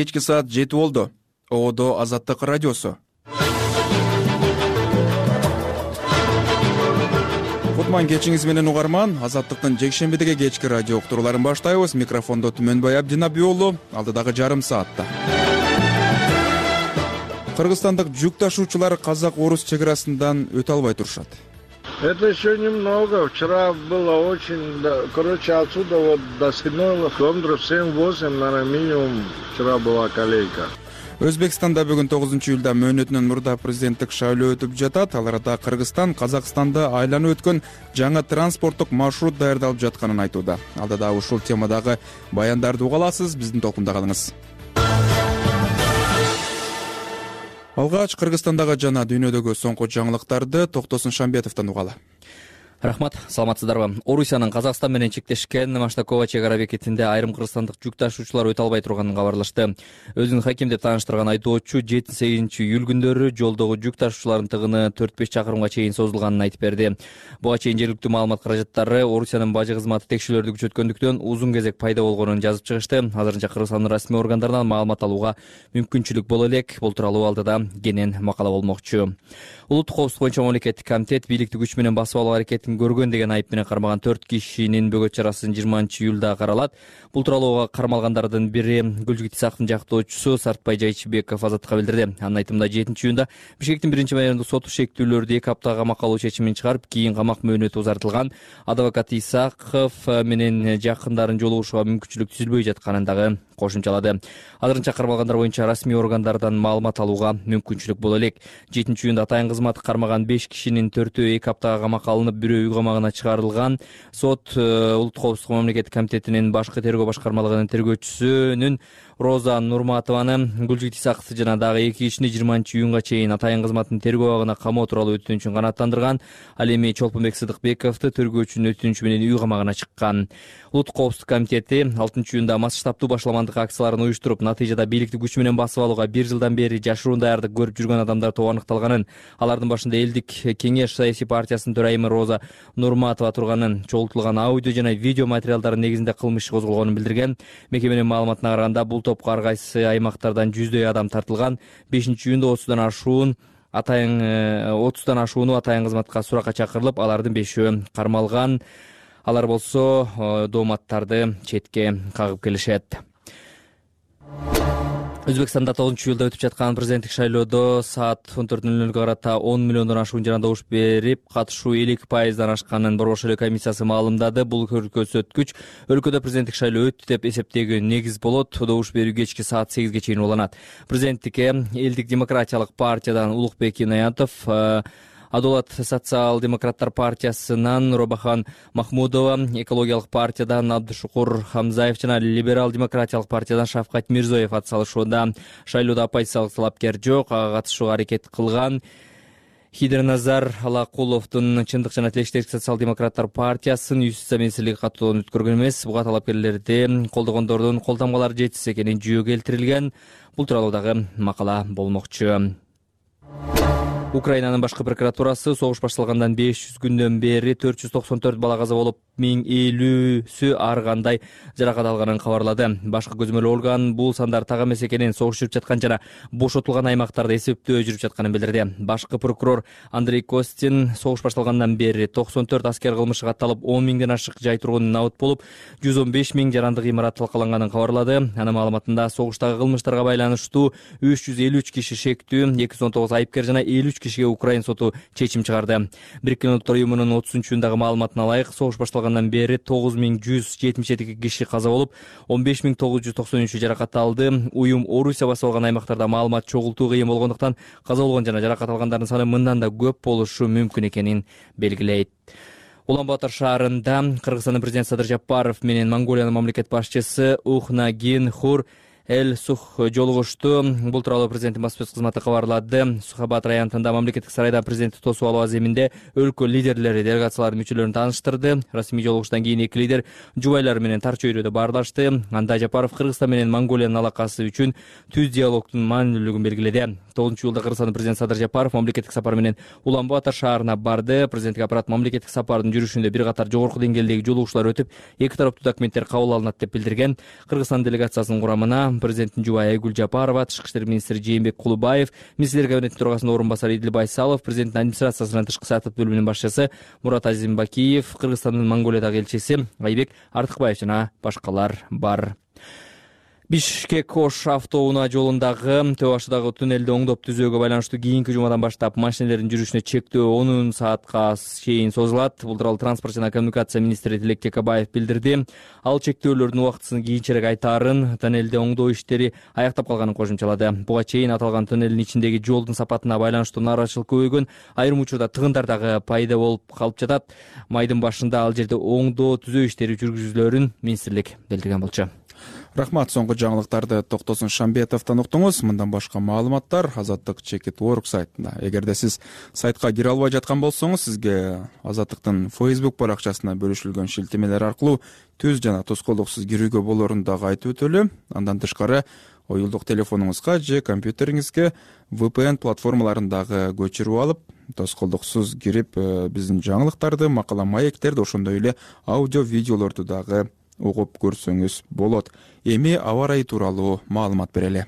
Кечки саат 7 болду. Одо Азаттык радиосу. Кутман кечиңиз менен угарман. Азаттыктын жекшембидеги кечки радио уктурууларын баштайбыз. Микрофондо Түмөнбай Абдинаби уулу. Алдыдагы жарым саатта. Кыргызстандык жүк ташуучулар казак-орус чек арасынан өтө албай турушат. Это еще немного. Вчера было очень... отсюда вот до Синойла, километров 7-8, наверное, минимум вчера была колейка. Өзбекстанда бүгүн 9-июлда мөөнөтүнөн мурда президенттик шайлоо өтүп жатат. Ал арада Кыргызстан Казакстанды айланып өткөн жаңы транспорттук маршрут даярдалып жатканын айтууда. Алдыда ушул темадагы баяндарды уга аласыз. Биздин толкунда калыңыз. Алгач Кыргызстандагы жана дүйнөдөгү соңку жаңылыктарды Токтосун Шамбетовдон угалы. Рахмат, саламатсыздарбы? Орусиянын Казакстан менен чектешкен Маштакова чек ара бекетинде айрым кыргызстандык жүк ташуучулар өтө албай турганын кабарлашты. Өзүн хаким деп тааныштырган айдоочу 7-8 күндөрү жолдогу жүк ташуучулардын тыгыны 4-5 чакырымга чейин созулганын айтып берди. Буга чейин жергиликтүү маалымат каражаттары Орусиянын бажы кызматы текшерүүлөрдү күчөткөндүктөн узун кезек пайда болгонун жазып чыгышты. Азырынча Кыргызстандын расмий органдарынан маалымат алууга мүмкүнчүлүк боло элек. Бул тууралуу алдыда кенен макала болмокчу. Улуттук коопсуздук боюнча мамлекеттик комитет бийликти күч менен басып алуу аракетин көргөн деген айып менен кармаган 4 кишинин бөгөт чарасы 20-июлда каралат. Бул тууралуу кармалгандардын бири Гүлжүк Исаковдун жактоочусу Сартбай Жайчыбеков Азаттыкка билдирди. Анын айтымында 7-июнда Бишкектин 1-майордук соту шектүүлөрдү 2 аптага камакка алуу чечимин чыгарып, кийин камак мөөнөтү узартылган. Адвокат Исаков менен жакындарын жолугушууга мүмкүнчүлүк түзүлбөй жатканын дагы кошумчалады. Азырынча кармалгандар боюнча расмий органдардан маалымат алууга мүмкүнчүлүк боло элек. 7-июнда атайын кызмат кармаган 5 кишинин 4-өө 2 аптага камакка алынып, бирөө үй камагына чыгарылган. Сот Улуттук коопсуздук мамлекеттик комитетинин башкы тергөө башкармалыгынын тергөөчүсүнүн Роза Нурматованы, Гүлжүк Исаковду жана дагы 2 кишини 20-июнга чейин атайын кызматтын тергөө абагына камоо тууралуу өтүнүчүн канааттандырган. Ал эми Чолпонбек Сыдыкбековду тергөөчүнүн өтүнүчү менен үй камагына чыккан. Улуттук коопсуздук комитети 6-июнда массштабтуу башаламандык акцияларын уюштуруп, натыйжада бийликти күч менен басып алууга 1 жылдан бери жашыруун даярдык көрүп жүргөн адамдар тобу аныкталганын, алардын башында Элдик кеңеш саясий партиясынын төрайымы Роза Нурматова турганын, чогултулган аудио жана видео материалдардын негизинде кылмыш иши козголгонун билдирген. Мекеменин маалыматына караганда, бул топко ар кайсы аймактардан жүздөй адам тартылган. 5-июнда 30дан ашууну атайын кызматка суракка чакырылып, алардын 5-өө кармалган. Алар болсо дооматтарды четке кагып келишет. Өзбекстанда 9-июлда өтүп жаткан президенттик шайлоодо саат 14:00 карата 10 миллиондон ашуун жана добуш берип, катышуу 50% ашканын Борбор шайлоо комиссиясы маалымдады. Бул көрсөткүч өлкөдө президенттик шайлоо өттү деп эсептөөгө негиз болот. Добуш берүү кечки саат 8ге чейин уланат. Президенттикке Элдик демократиялык партиядан Улукбек Инаятов, Адолат социал-демократтар партиясынан Робахан Махмудова, экологиялык партиядан Абдышукур Хамзаев жана либерал-демократиялык партиядан Шавкат Мирзоев атсалышууда. Шайлоодо оппозициялык талапкер жок, ага катышууга аракет кылган. Хидерназар Алакуловдун Чындык жана тилектештик социал-демократтар партиясын юстиция министрлиги каттоодон өткөргөн эмес. Буга талапкерлерди колдогондордун колтамгалары жетишсиз экени жүйө келтирилген. Бул тууралуу дагы макала болмокчу. Украинанын башкы прокуратурасы согуш башталгандан 500 күндөн бери 494 бала каза болуп, 1050сү ар кандай жаракат алганын кабарлады. Башкы көзөмөл орган бул сандар так эмес экенин, согуш жүрүп жаткан жана бошотулган аймактарда эсептөө жүрүп жатканын билдирди. Башкы прокурор Андрей Костин согуш башталгандан бери 94 аскер кылмышка катталып, 10 миңден ашык жай тургун набыт болуп, 115 миң жарандык имарат талкаланганын кабарлады. Анын маалыматында согуштагы кылмыштарга байланыштуу 353 киши шектүү, 219 айыпкер жана 53 кишиге Украин соту чечим чыгарды. Бириккен Улуттар уюмунун 30-июндагы маалыматына ылайык, согуш башталгандан бери 9172 киши каза болуп, 15993 жаракат алды. Уюм Орусия басып алган аймактарда маалымат чогултуу кыйын болгондуктан каза болгон жана жаракат алгандардын саны мындан да көп болушу мүмкүн экенин белгилейт. Улан-Батор шаарында Кыргызстандын президенти Садыр Жапаров менен Монголиянын мамлекет башчысы Ухнагин Хур Эл-Сух жолугушту. Бул тууралуу президенттин баспасөз кызматы кабарлады. Сухабат районунда мамлекеттик сарайда президентти тосуп алуу аземинде өлкө лидерлери делегациялардын мүчөлөрүн тааныштырды. Расмий жолугуштан кийин эки лидер жубайлар менен тар чөйрөдө баарлашты. Анда Жапаров Кыргызстан менен Монголиянын алакасы үчүн түз диалогдун маанилүүлүгүн белгиледи. 9-июлда Кыргызстандын президенти Садыр Жапаров мамлекеттик сапар менен Улан-Батор шаарына барды. Президенттик аппарат мамлекеттик сапардын жүрүшүндө бир катар жогорку деңгээлдеги жолугушуулар өтүп, эки тараптуу документтер кабыл алынат деп билдирген. Кыргызстан делегациясынын курамына президенттин жубайы Айгүл Жапарова, тышкы иштер министри Жээнбек Кулубаев, министрлер кабинетинин төрагасынын орун басары Идил Байсалов, президенттин администрациясынын тышкы саясат бөлүмүнүн башчысы Мурат Азимбакиев, Кыргызстандын Монголиядагы элчиси Айбек Артыкбаев жана башкалар бар. Бишкек-Ош автоунаа жолундагы Төө башындагы туннелди оңдоп түзүүгө байланыштуу кийинки жумадан баштап машинелердин жүрүшүнө чектөө 10 саатка чейин созулат. Бул тууралуу транспорт жана коммуникация министри Тилек Текебаев билдирди. Ал чектөөлөрдүн убактысын кийинчерээк айтаарын, туннелди оңдоо иштери аяктап калганын кошумчалады. Буга чейин аталган туннелдин ичиндеги жолдун сапатына байланыштуу нааразычылык көбөйгөн, айрым учурда тыгындар дагы пайда болуп калып жатат. Майдын башында ал жерде оңдоо түзөө иштери жүргүзүлөөрүн министрлик билдирген болчу. Рахмат, соңку жаңылыктарды Токтосун Шамбетовдон уктуңуз. Мындан башка маалыматтар Азаттык Чекит.org сайтында. Эгерде сиз сайтка кире албай жаткан болсоңуз, сизге Азаттыктын Facebook баракчасына бөлүшүлгөн шилтемелер аркылуу түз жана тоскоолдуксуз кирүүгө болоорун дагы айтып өтөлү. Андан тышкары оюлдук телефонуңузга же компьютериңизге VPN платформаларын дагы көчүрүп алып, тоскоолдуксуз кирип, биздин жаңылыктарды, макала маектерди, ошондой эле аудио видеолорду дагы угуп көрсөңүз болот. Эми аба ырайы тууралуу маалымат берели.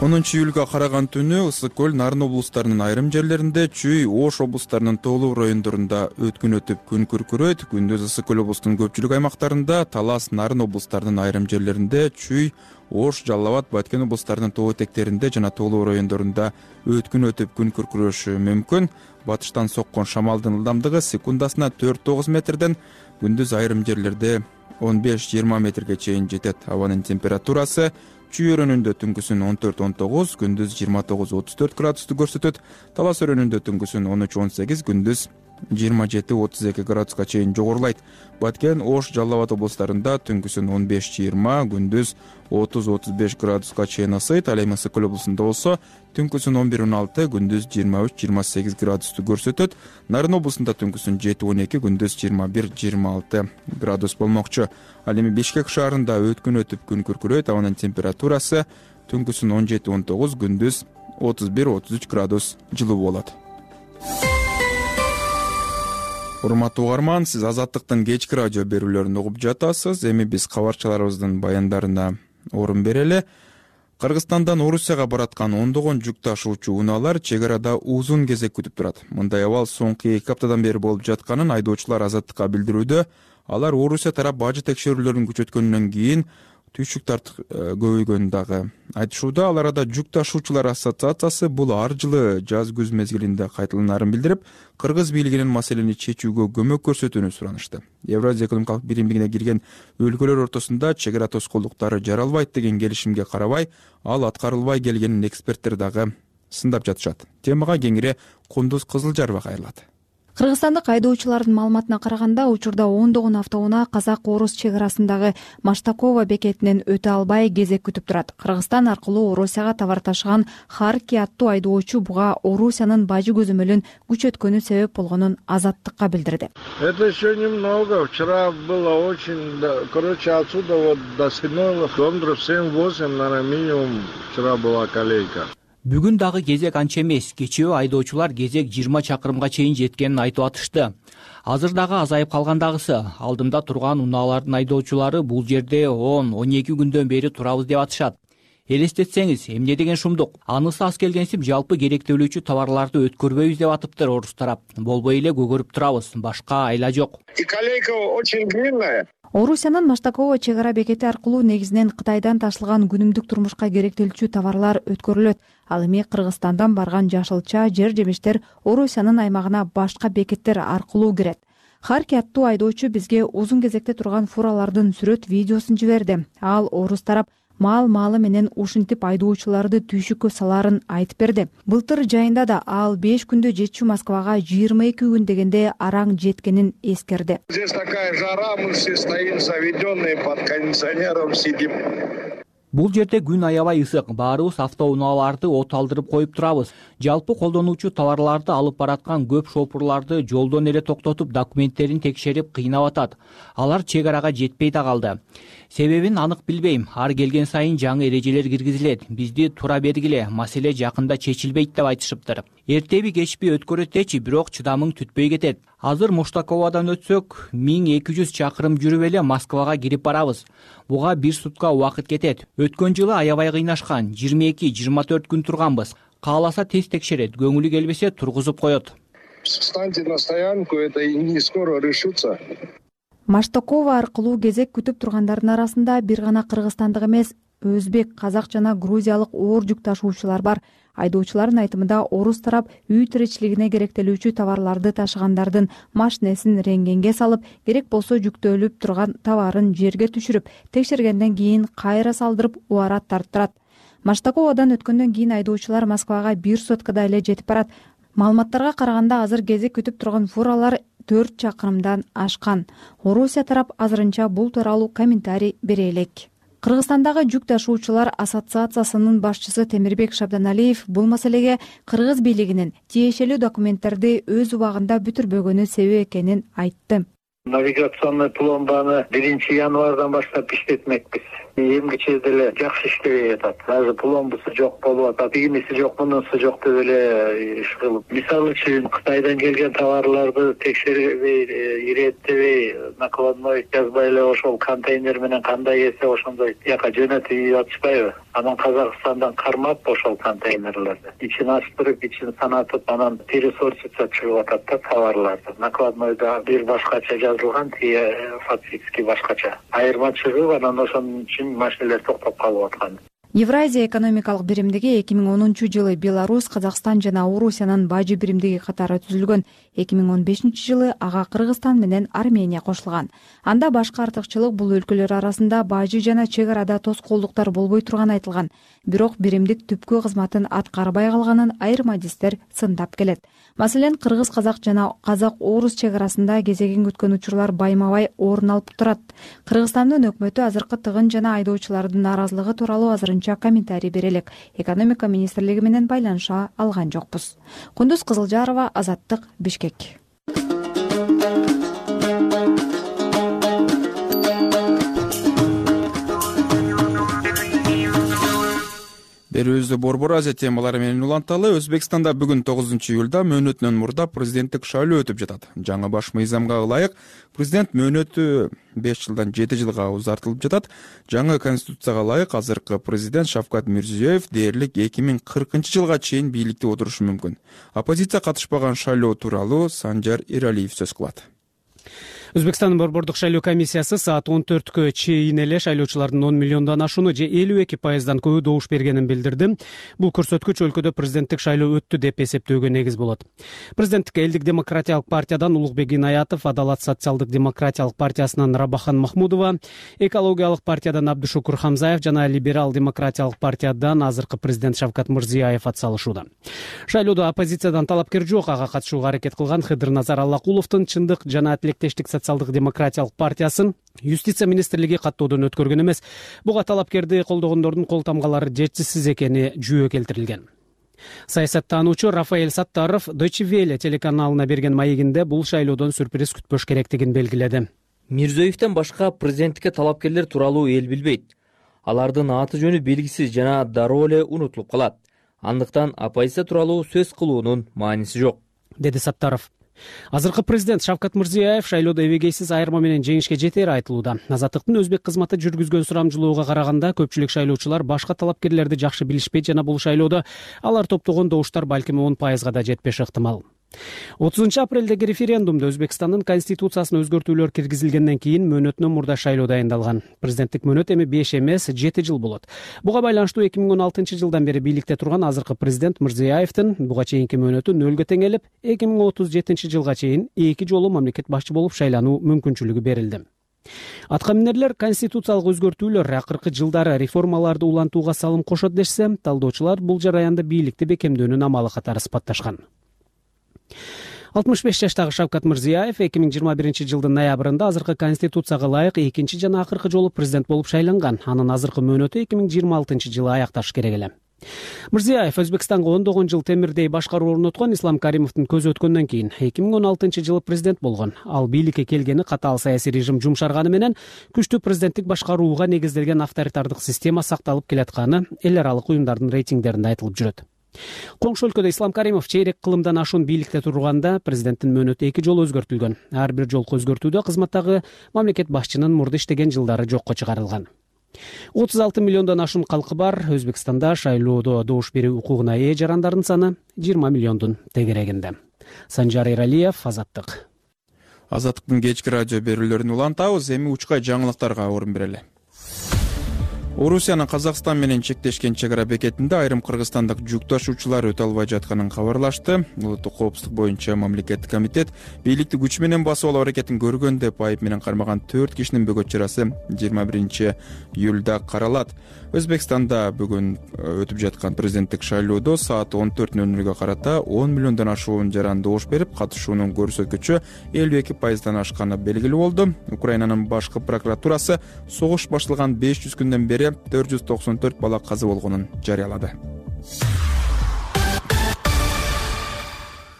10 июлга караган түнү Ысык көл, Нарын облустарынын айрым жерлеринде, Чүй, Ош облустарынын тоолуу райондорунда өткүн өтүп күн күркүрөйт. Күндүз Ысык көл облустунун көпчүлүк аймактарында, Талас, Нарын облустарынын айрым жерлеринде, Чүй, Ош, Жалал Абад, Баткен облустарынын тоо этектеринде жана тоолуу райондорунда өткүн өтүп күн күркүрөшү мүмкүн. Батыштан соккон шамалдын ылдамдыгы секундасына 4-9 метрден, күндүз айрым жерлерде 15-20 метрге чейин жетет. Абанын температурасы Чүй өрөөнүндө түнкүсүн 14-19, күндүз 29-34 градусту көрсөтөт. Талас өрөөнүндө түнкүсүн 13-18, күндүз 27-32 градуска чейин жогорулайт. Баткен, Ош, Жалал Абад облустарында түнкүсүн 15-20, күндүз 30-35 градуска чейин ысыйт. Ал эми Ысык көл облусунда болсо түнкүсүн 11-16, күндүз 23-28 градусту көрсөтөт. Нарын облусунда түнкүсүн 7-12, күндүз 21-26 градус болмокчу. Ал эми Бишкек шаарында өткүн өтүп күн күркүрөйт. Абанын температурасы түнкүсүн 17-19, күндүз 31-33 градус жылуу болот. Урматтуу угарман, сиз Азаттыктын кечки радио берүүлөрүн угуп жатасыз. Эми биз кабарчыларыбыздын баяндарына орун берели. Кыргызстандан Орусияга бараткан ондогон жүк ташуучу унаалар чек арада узун кезек күтүп турат. Мындай абал соңку 2 аптадан бери болуп жатканын айдоочулар Азаттыкка билдирүүдө. Алар Орусия тарап бажы текшерүүлөрүн күчөткөндөн кийин түйшүк көбөйгөнүн дагы айтышууда. Ал арада жүк ташуучулар ассоциациясы бул ар жылы жаз-күз мезгилинде кайталанаарын билдирип, кыргыз бийлигинин маселени чечүүгө көмөк көрсөтүүнү суранышты. Евразия экономикалык биримдигине кирген өлкөлөр ортосунда чек ара тоскоолдуктары жаралбайт деген келишимге карабай, ал аткарылбай келгенин эксперттер дагы сындап жатышат. Темага кеңири Кундуз Кызылжарова кайрылат. Кыргызстандык айдоочулардын маалыматына караганда, учурда ондогон автоунаа казак-орус чек арасындагы Маштакова бекетинен өтө албай кезек күтүп турат. Кыргызстан аркылуу Орусияга товар ташыган Харки аттуу айдоочу буга Орусиянын бажы көзөмөлүн күчөткөнү себеп болгонун Азаттыкка билдирди. Это еще немного. Вчера было очень, отсюда вот до Синойло, километров 7-8, наверное, минимум вчера была колейка. Бүгүн дагы кезек анча эмес. Кечээ айдоочулар кезек 20 чакырымга чейин жеткенин айтып атышты. Азыр дагы азайып калгандагысы. Алдымда турган унаалардын айдоочулары бул жерде 10-12 күндөн бери турабыз деп атышат. Элестетсеңиз, эмне деген шумдук. Анысы аз келгенсип жалпы керектелүүчү товарларды өткөрбөйбүз деп атыптыр орус тарап. Болбой эле көгөрүп турабыз. Башка айла жок. И колейка очень длинная. Орусиянын Маштакова чек ара бекети аркылуу негизинен Кытайдан ташылган күнүмдүк турмушка керектелүүчү товарлар өткөрүлөт. Ал эми Кыргызстандан барган жашылча, жер жемиштер Орусиянын аймагына башка бекеттер аркылуу кирет. Харки аттуу айдоочу бизге узун кезекте турган фуралардын сүрөт видеосун жиберди. Ал орус тарап маал-маалы менен ушинтип айдоочуларды түйшүккө салаарын айтып берди. Былтыр жайында да ал 5 күндө жетчү Москвага 22 күн дегенде араң жеткенин эскерди. Здесь такая жара, мы все стоим заведенные под кондиционером сидим. Бул жерде күн аябай ысык. Баарыбыз автоунааларды от алдырып коюп турабыз. Жалпы колдонуучу товарларды алып бараткан көп шопурларды жолдон эле токтотуп, документтерин текшерип кыйнап атат. Алар чек арага жетпей да калды. Себебин анык билбейм. Ар келген сайын жаңы эрежелер киргизилет. Бизди тура бергиле, маселе жакында чечилбейт деп айтышыптыр. Эртеби кечпи өткөрөт дечи, бирок чыдамың түтпөй кетет. Азыр Моштаковадан өтсөк, 1200 чакырым жүрүп эле Москвага кирип барабыз. Буга 1 сутка убакыт кетет. Өткөн жылы аябай кыйнашкан, 22-24 күн турганбыз. Кааласа тез текшерет, көңүлү келбесе тургузуп коет. Встаньте на стоянку, это не скоро решится. Маштакова аркылуу кезек күтүп тургандардын арасында бир гана кыргызстандык эмес, өзбек, казак жана грузиялык оор жүк ташуучулар бар. Айдоочулардын айтымында орус тарап үй тиричилигине керектелүүчү товарларды ташыгандардын машинесин рентгенге салып, керек болсо жүктөлүп турган товарын жерге түшүрүп, текшергенден кийин кайра салдырып убарат тарттырат. Маштаковадан өткөндөн кийин айдоочулар Москвага 1 суткада эле жетип барат. Маалыматтарга караганда азыр кезек күтүп турган фуралар 4 чакырымдан ашкан. Орусия тарап азырынча бул тууралуу комментарий бере элек. Кыргызстандагы жүк ташуучулар ассоциациясынын башчысы Темирбек Шабданалиев бул маселеге кыргыз бийлигинин тиешелүү документтерди өз убагында бүтүрбөгөнү себеп экенин айтты. Навигационный пломбаны 1 январдан баштап иштетмекпиз. Эмгиче деле жакшы иштебей атат. Азыр пломбасы жок болуп атат, иймиси жок, мунусу жок деп эле иш кылып. Мисалы үчүн Кытайдан келген товарларды текшербей, иреттебей, накладной жазбай эле ошол контейнер менен кандай эсе ошондой жака жөнөтүп атышпайбы? Анан Казакстандан кармап ошол контейнерлерди ичин ачтырып, ичин санатып, анан пересортица чыгып атат да товарларды. Накладнойда бир башкача жазылган, фактически башкача. Айырма чыгып, анан ошонун үчүн машиналар токтоп калып аткан. Евразия экономикалык биримдиги 2010-жылы Беларусь, Казакстан жана Орусиянын бажы биримдиги катары түзүлгөн. 2015-жылы ага Кыргызстан менен Армения кошулган. Анда башкы артыкчылык бул өлкөлөр арасында бажы жана чек арада тоскоолдуктар болбой турганы айтылган. Бирок биримдик түпкү кызматын аткарбай калганын айрым адистер сындап келет. Маселен, кыргыз-казак жана казак-орус чек арасында кезегин күткөн учурлар байма-бай орун алып турат. Кыргызстандын өкмөтү азыркы тыгын жана айдоочулардын нааразылыгы тууралуу азырынча комментарий бере элек. Экономика министрлиги менен байланыша алган жокпуз. Кундуз Кызылжарова, Азаттык, Бишкек. Берүүбүздү Борбор Азия темалары менен уланталы. Өзбекстанда бүгүн 9-июлда мөөнөтүнөн мурда президенттик шайлоо өтүп жатат. Жаңы баш мыйзамга ылайык президент мөөнөтү 5 жылдан 7 жылга узартылып жатат. Жаңы конституцияга ылайык азыркы президент Шавкат Мирзиёев дээрлик 2040-жылга чейин бийликте отурушу мүмкүн. Оппозиция катышпаган шайлоо тууралуу Санжар Иралиев сөз кылат. Өзбекстандын борбордук шайлоо комиссиясы саат 14кө чейин эле шайлоочулардын 10 миллиондон ашууну же 52% көбү добуш бергенин билдирди. Бул көрсөткүч өлкөдө президенттик шайлоо өттү деп эсептөөгө негиз болот. Президенттик Элдик демократиялык партиядан Улукбек Инаятов, Адалат социалдык демократиялык партиясынан Рабахан Махмудова, экологиялык партиядан Абдушукур Хамзаев жана либерал демократиялык партиядан азыркы президент Шавкат Мирзиёев атсалышууда. Шайлоодо оппозициядан талапкер жок. Ага катышууга аракет кылган Хыдырназар Аллакуловдун Чындык жана Тилектештик социалдык демократиялык партиясын юстиция министрлиги каттоодон өткөргөн эмес. Буга талапкерди колдогондордун кол тамгалары жетишсиз экени жүйө келтирилген. Саясаттануучу Рафаэль Саттаров Deutsche Welle телеканалына берген маегинде бул шайлоодон сюрприз күтпөш керектигин белгиледи. Мирзиёевден башка президенттикке талапкерлер тууралуу эл билбейт. Алардын аты жөнү белгисиз жана дароо эле унутулуп калат. Андыктан оппозиция тууралуу сөз кылуунун мааниси жок, деди Саттаров. Азыркы президент Шавкат Мирзиёев шайлоодо эбегейсиз айырма менен жеңишке жетери айтылууда. Азаттыктын өзбек кызматы жүргүзгөн сурамжылоого караганда көпчүлүк шайлоочулар башка талапкерлерди жакшы билишпейт жана бул шайлоодо алар топтогон добуштар балким 10%га да жетпеши ыктымал. 30-апрелдеги референдумда Өзбекстандын конституциясына өзгөртүүлөр киргизилгенден кийин мөөнөтүнөн мурда шайлоо дайындалган. Президенттик мөөнөт эми 5 эмес 7 жыл болот. Буга байланыштуу 2016-жылдан бери бийликте турган азыркы президент Мирзиёевдин буга чейинки мөөнөтү 0 теңелип, 2037-жылга чейин 2 жолу мамлекет башчы болуп шайлануу мүмкүнчүлүгү берилди. Аткаминерлер конституциялык өзгөртүүлөр акыркы жылдары реформаларды улантууга салым кошот дешсе, талдоочулар бул жараянды бийликти бекемдөөнүн амалы катары сыпатташкан. 65 жаштагы Шавкат Мирзиёев 2021-жылдын ноябрында азыркы конституцияга ылайык экинчи жана акыркы жолу президент болуп шайланган. Анын азыркы мөөнөтү 2026-жылы аякташ керек эле. Мирзиёев Өзбекстанга ондогон жыл темирдей башкаруу орноткон Ислам Каримовдун көзү өткөндөн кийин 2016-жылы президент болгон. Ал бийликке келгени катаал саясий режим жумшарганы менен күчтүү президенттик башкарууга негизделген авторитардык система сакталып келатканы эл аралык уюмдардын рейтингдеринде айтылып жүрөт. Коңшу өлкөдө Ислам Каримов чейрек кылымдан ашуун бийликте турганда президенттин мөөнөтү 2 жолу өзгөртүлгөн. Ар бир жолку өзгөртүүдө кызматтагы мамлекет башчынын мурда иштеген жылдары жокко чыгарылган. 36 миллиондон ашуун калкы бар Өзбекстанда шайлоодо добуш берүү укугуна ээ жарандардын саны 20 миллиондун тегерегинде. Санжар Эралиев, Азаттык. Азаттыктын кечки радио берүүлөрүн улантабыз. Эми учкай жаңылыктарга орун берели. Орусиянын Казакстан менен чектешкен чек ара бекетинде айрым кыргызстандык жүк ташуучулар өтө албай жатканын кабарлашты. Улуттук коопсуздук боюнча мамлекеттик комитет бийликти күч менен басып алуу аракетин көргөн деп айып менен кармаган 4 кишинин бөгөт чарасы 21-июлда каралат. Өзбекстанда бүгүн өтүп жаткан президенттик шайлоодо саат 14:00 карата 10 миллиондон ашуун жаран добуш берип, катышуунун көрсөткүчү 52% ашканы белгилүү болду. Украинанын башкы прокуратурасы согуш башталган 500 күндөн бери 494 бала каза болгонун жарыялады.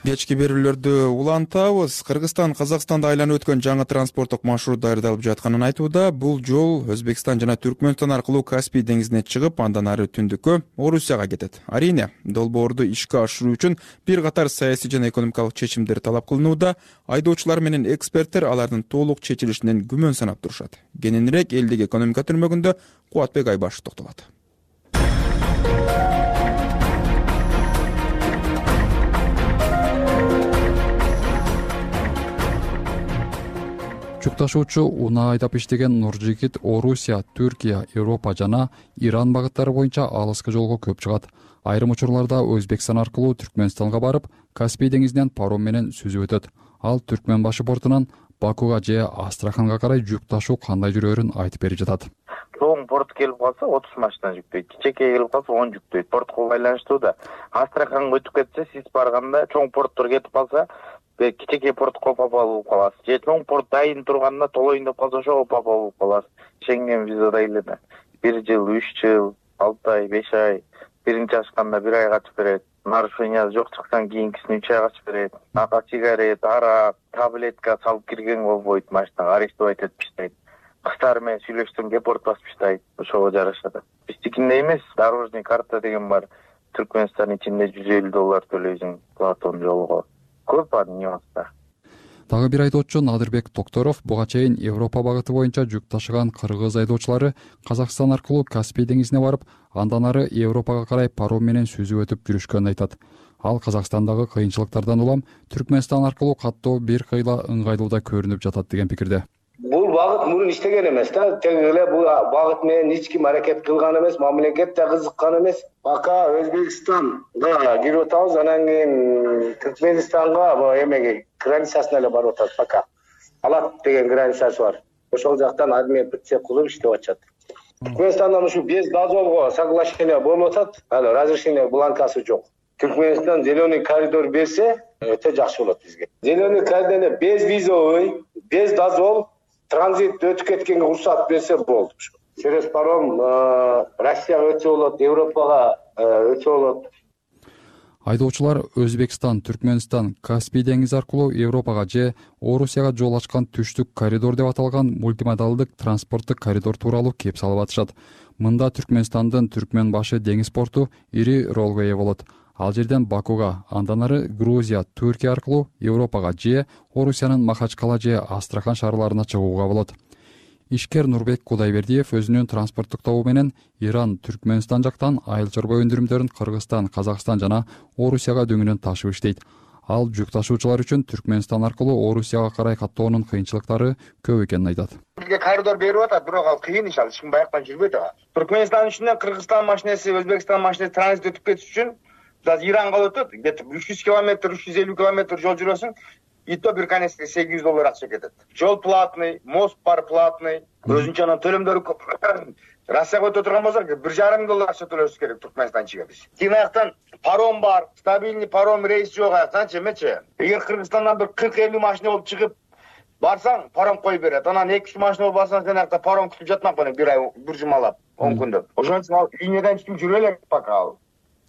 Кечки берүүлөрдү улантабыз. Кыргызстан Казакстанда айланып өткөн жаңы транспорттук маршрут даярдалып жатканын айтууда. Бул жол Өзбекстан жана Түркмөнстан аркылуу Каспий деңизине чыгып, андан ары түндүккө Орусияга кетет. Арине, долбоорду ишке ашыруу үчүн бир катар саясий жана экономикалык чечимдер талап кылынууда. Айдоочулар менен эксперттер алардын толук чечилишинен күмөн санап турушат. Кененирээк элдик экономика түрмөгүндө Кубатбек Айбашев токтолот. Жүк ташуучу унаа айдап иштеген Нуржигит Орусия, Түркия, Европа жана Иран багыттары боюнча алыскы жолго көп чыгат. Айрым учурларда Өзбекстан аркылуу Түркмөнстанга барып, Каспий деңизинен паром менен сүзүп өтөт. Ал Түркмөн башы портунан Бакуга же Астраханга карай жүк ташуу кандай жүрөөрүн айтып берип жатат. Чоң порт келип калса 30 машина жүктөйт, кичекей келип калса 10 жүктөйт. Портко байланыштуу да. Астраханга өтүп кетсе, сиз барганда чоң порттор кетип калса, кичекей портко попал болуп каласыз. Же чоң порт дайын турганда толоюн деп калса, ошого попал болуп каласыз. Шенген визада эле 1 жыл, 3 жыл, 6 ай, 5 ай, биринчи ашканда 1 ай качып берет. Нарушение жок чыксан кийинкисин 3 ай качып берет. Ага сигарет, арак, таблетка салып кирген болбойт, машинага арестовать этип таштайт. Кыздар менен сүйлөшсөм депорт басып таштайт. Ошого жарашат. Биздикинде эмес, дорожный карта деген бар. Түркмөнстан ичинде $150 төлөйсүң Платон жолго. Көп ар нюанстар. Дагы бир айдоочу Надырбек Токторов буга чейин Европа багыты боюнча жүк ташыган кыргыз айдоочулары Казакстан аркылуу Каспий деңизине барып, андан ары Европага карай паром менен сүзүп өтүп жүрүшкөнүн айтат. Ал Казакстандагы кыйынчылыктардан улам Түркмөнстан аркылуу каттоо бир кыйла ыңгайлууда көрүнүп жатат деген пикирде. Бул багыт мурун иштеген эмес да, тең эле бул багыт менен эч ким аракет кылган эмес, мамлекет да кызыккан эмес. Пока Өзбекстанга кирип атабыз, анан кийин Түркмөнстанга эмеге границасына эле барып атат пока. Алат деген границасы бар. Ошол жактан армия прицеп кылып иштеп атышат. Түркмөнстандан ушу без дозволго соглашение болуп атат, ал разрешение бланкасы жок. Түркмөнстан зеленый коридор берсе, өтө жакшы болот бизге. Зеленый коридор без визовый, без дозвол транзит өтүп кеткенге уруксат берсе болду. Через паром Россияга өтсө болот, Европага өтсө болот. Айдоочулар Өзбекстан, Түркмөнстан, Каспий деңизи аркылуу Европага же Орусияга жол ачкан түштүк коридор деп аталган мультимодалдык транспорттук коридор тууралуу кеп салып атышат. Мында Түркмөнстандын Түркмөн башы деңиз порту ири ролго ээ болот. Ал жерден Бакуга, андан ары Грузия, Түркия аркылуу Европага же Орусиянын Махачкала же Астрахан шаарларына чыгууга болот. Ишкер Нурбек Кудайбердиев өзүнүн транспорттук тобу менен Иран, Түркмөнстан жактан айыл чарба өндүрүмдөрүн Кыргызстан, Казакстан жана Орусияга дөңүнөн ташып иштейт. Ал жүк ташуучулар үчүн Түркмөнстан аркылуу Орусияга карай каттоонун кыйынчылыктары көп экенин айтат. Бизге коридор берип атат, бирок ал кыйын иш, ал эч ким баяктан жүрбөйт ага. Түркмөнстан үчүнөн Кыргызстан машинеси, Өзбекстан машинеси транзит өтүп кетиш үчүн Иранга өтөт, где-то 300 километр, 350 километр жол жүрөсүң, и то бир конецке $800 акча кетет. Жол платный, мост бар платный, өзүнчө анан төлөмдөрү көп. Россияга өтө турган болсок, $1,500 акча төлөшүбүз керек Түркмөнстанчыга биз. Кийин аяктан паром бар, стабильный паром рейс жок аяктанчы эмечи. Эгер Кыргызстандан бир 40-50 машина болуп чыгып барсаң, паром коюп берет. Анан 2-3 машина болуп барсаң, сен аякта паром күтүп жатмак менен бир ай, бир жумалап, 10 күндөп. Ошон үчүн ал линиядан эч ким жүрө элек пока ал.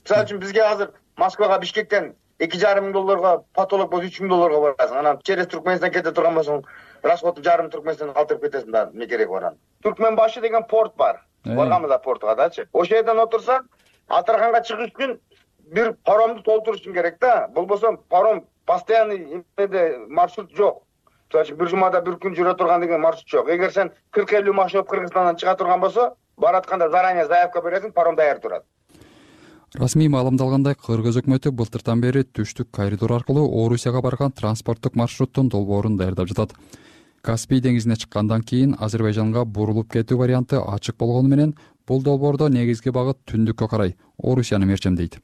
Мисалы үчүн бизге азыр Москвага, Бишкектен $2,5 потолок болсо $3,000 барасың. Анан через Туркменистан кете турган болсоң, расходу жарым Туркменистан калтырып кетесиң да, эмне керек баран. Түркменбашы деген порт бар. Барганбыз да португа дачы. Ошол жерден отурсаң, Астраханга чыгыш үчүн бир паромду толтурушуң керек да. Болбосо паром постоянный маршрут жок. Бир жумада бир күн жүрө турган деген маршрут жок. Эгер сен 40-50 машина Кыргызстандан чыга турган болсо, баратканда заранее заявка бересиң, паром даяр турат. Расмий маалымдалгандай, Кыргыз өкмөтү былтыртан бери түштүк коридор аркылуу Орусияга барган транспорттук маршруттун долбоорун даярдап жатат. Каспий деңизине чыккандан кийин Азербайжанга бурулуп кетүү варианты ачык болгону менен бул долбоордо негизги багыт түндүккө карай Орусияны мерчемдейт.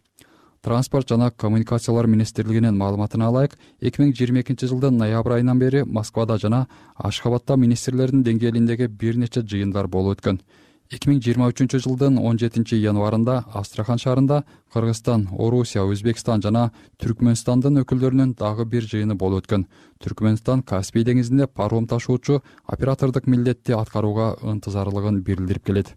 Транспорт жана коммуникациялар министрлигинин маалыматына алайык, 2022 жылдын ноябрь айынан бери Москвада жана Ашхабадда министрлердин деңгээлиндеги бир нече жыйындар болуп өткөн. 2023 жылдын 17 январында Астрахан шаарында Кыргызстан, Орусия, Өзбекстан жана Түркмөнстандын өкүлдөрүнүн дагы бир жыйыны болуп өткөн. Түркмөнстан Каспий деңизинде паром ташуучу оператордук милдетти аткарууга ынтызарлыгын билдирип келет.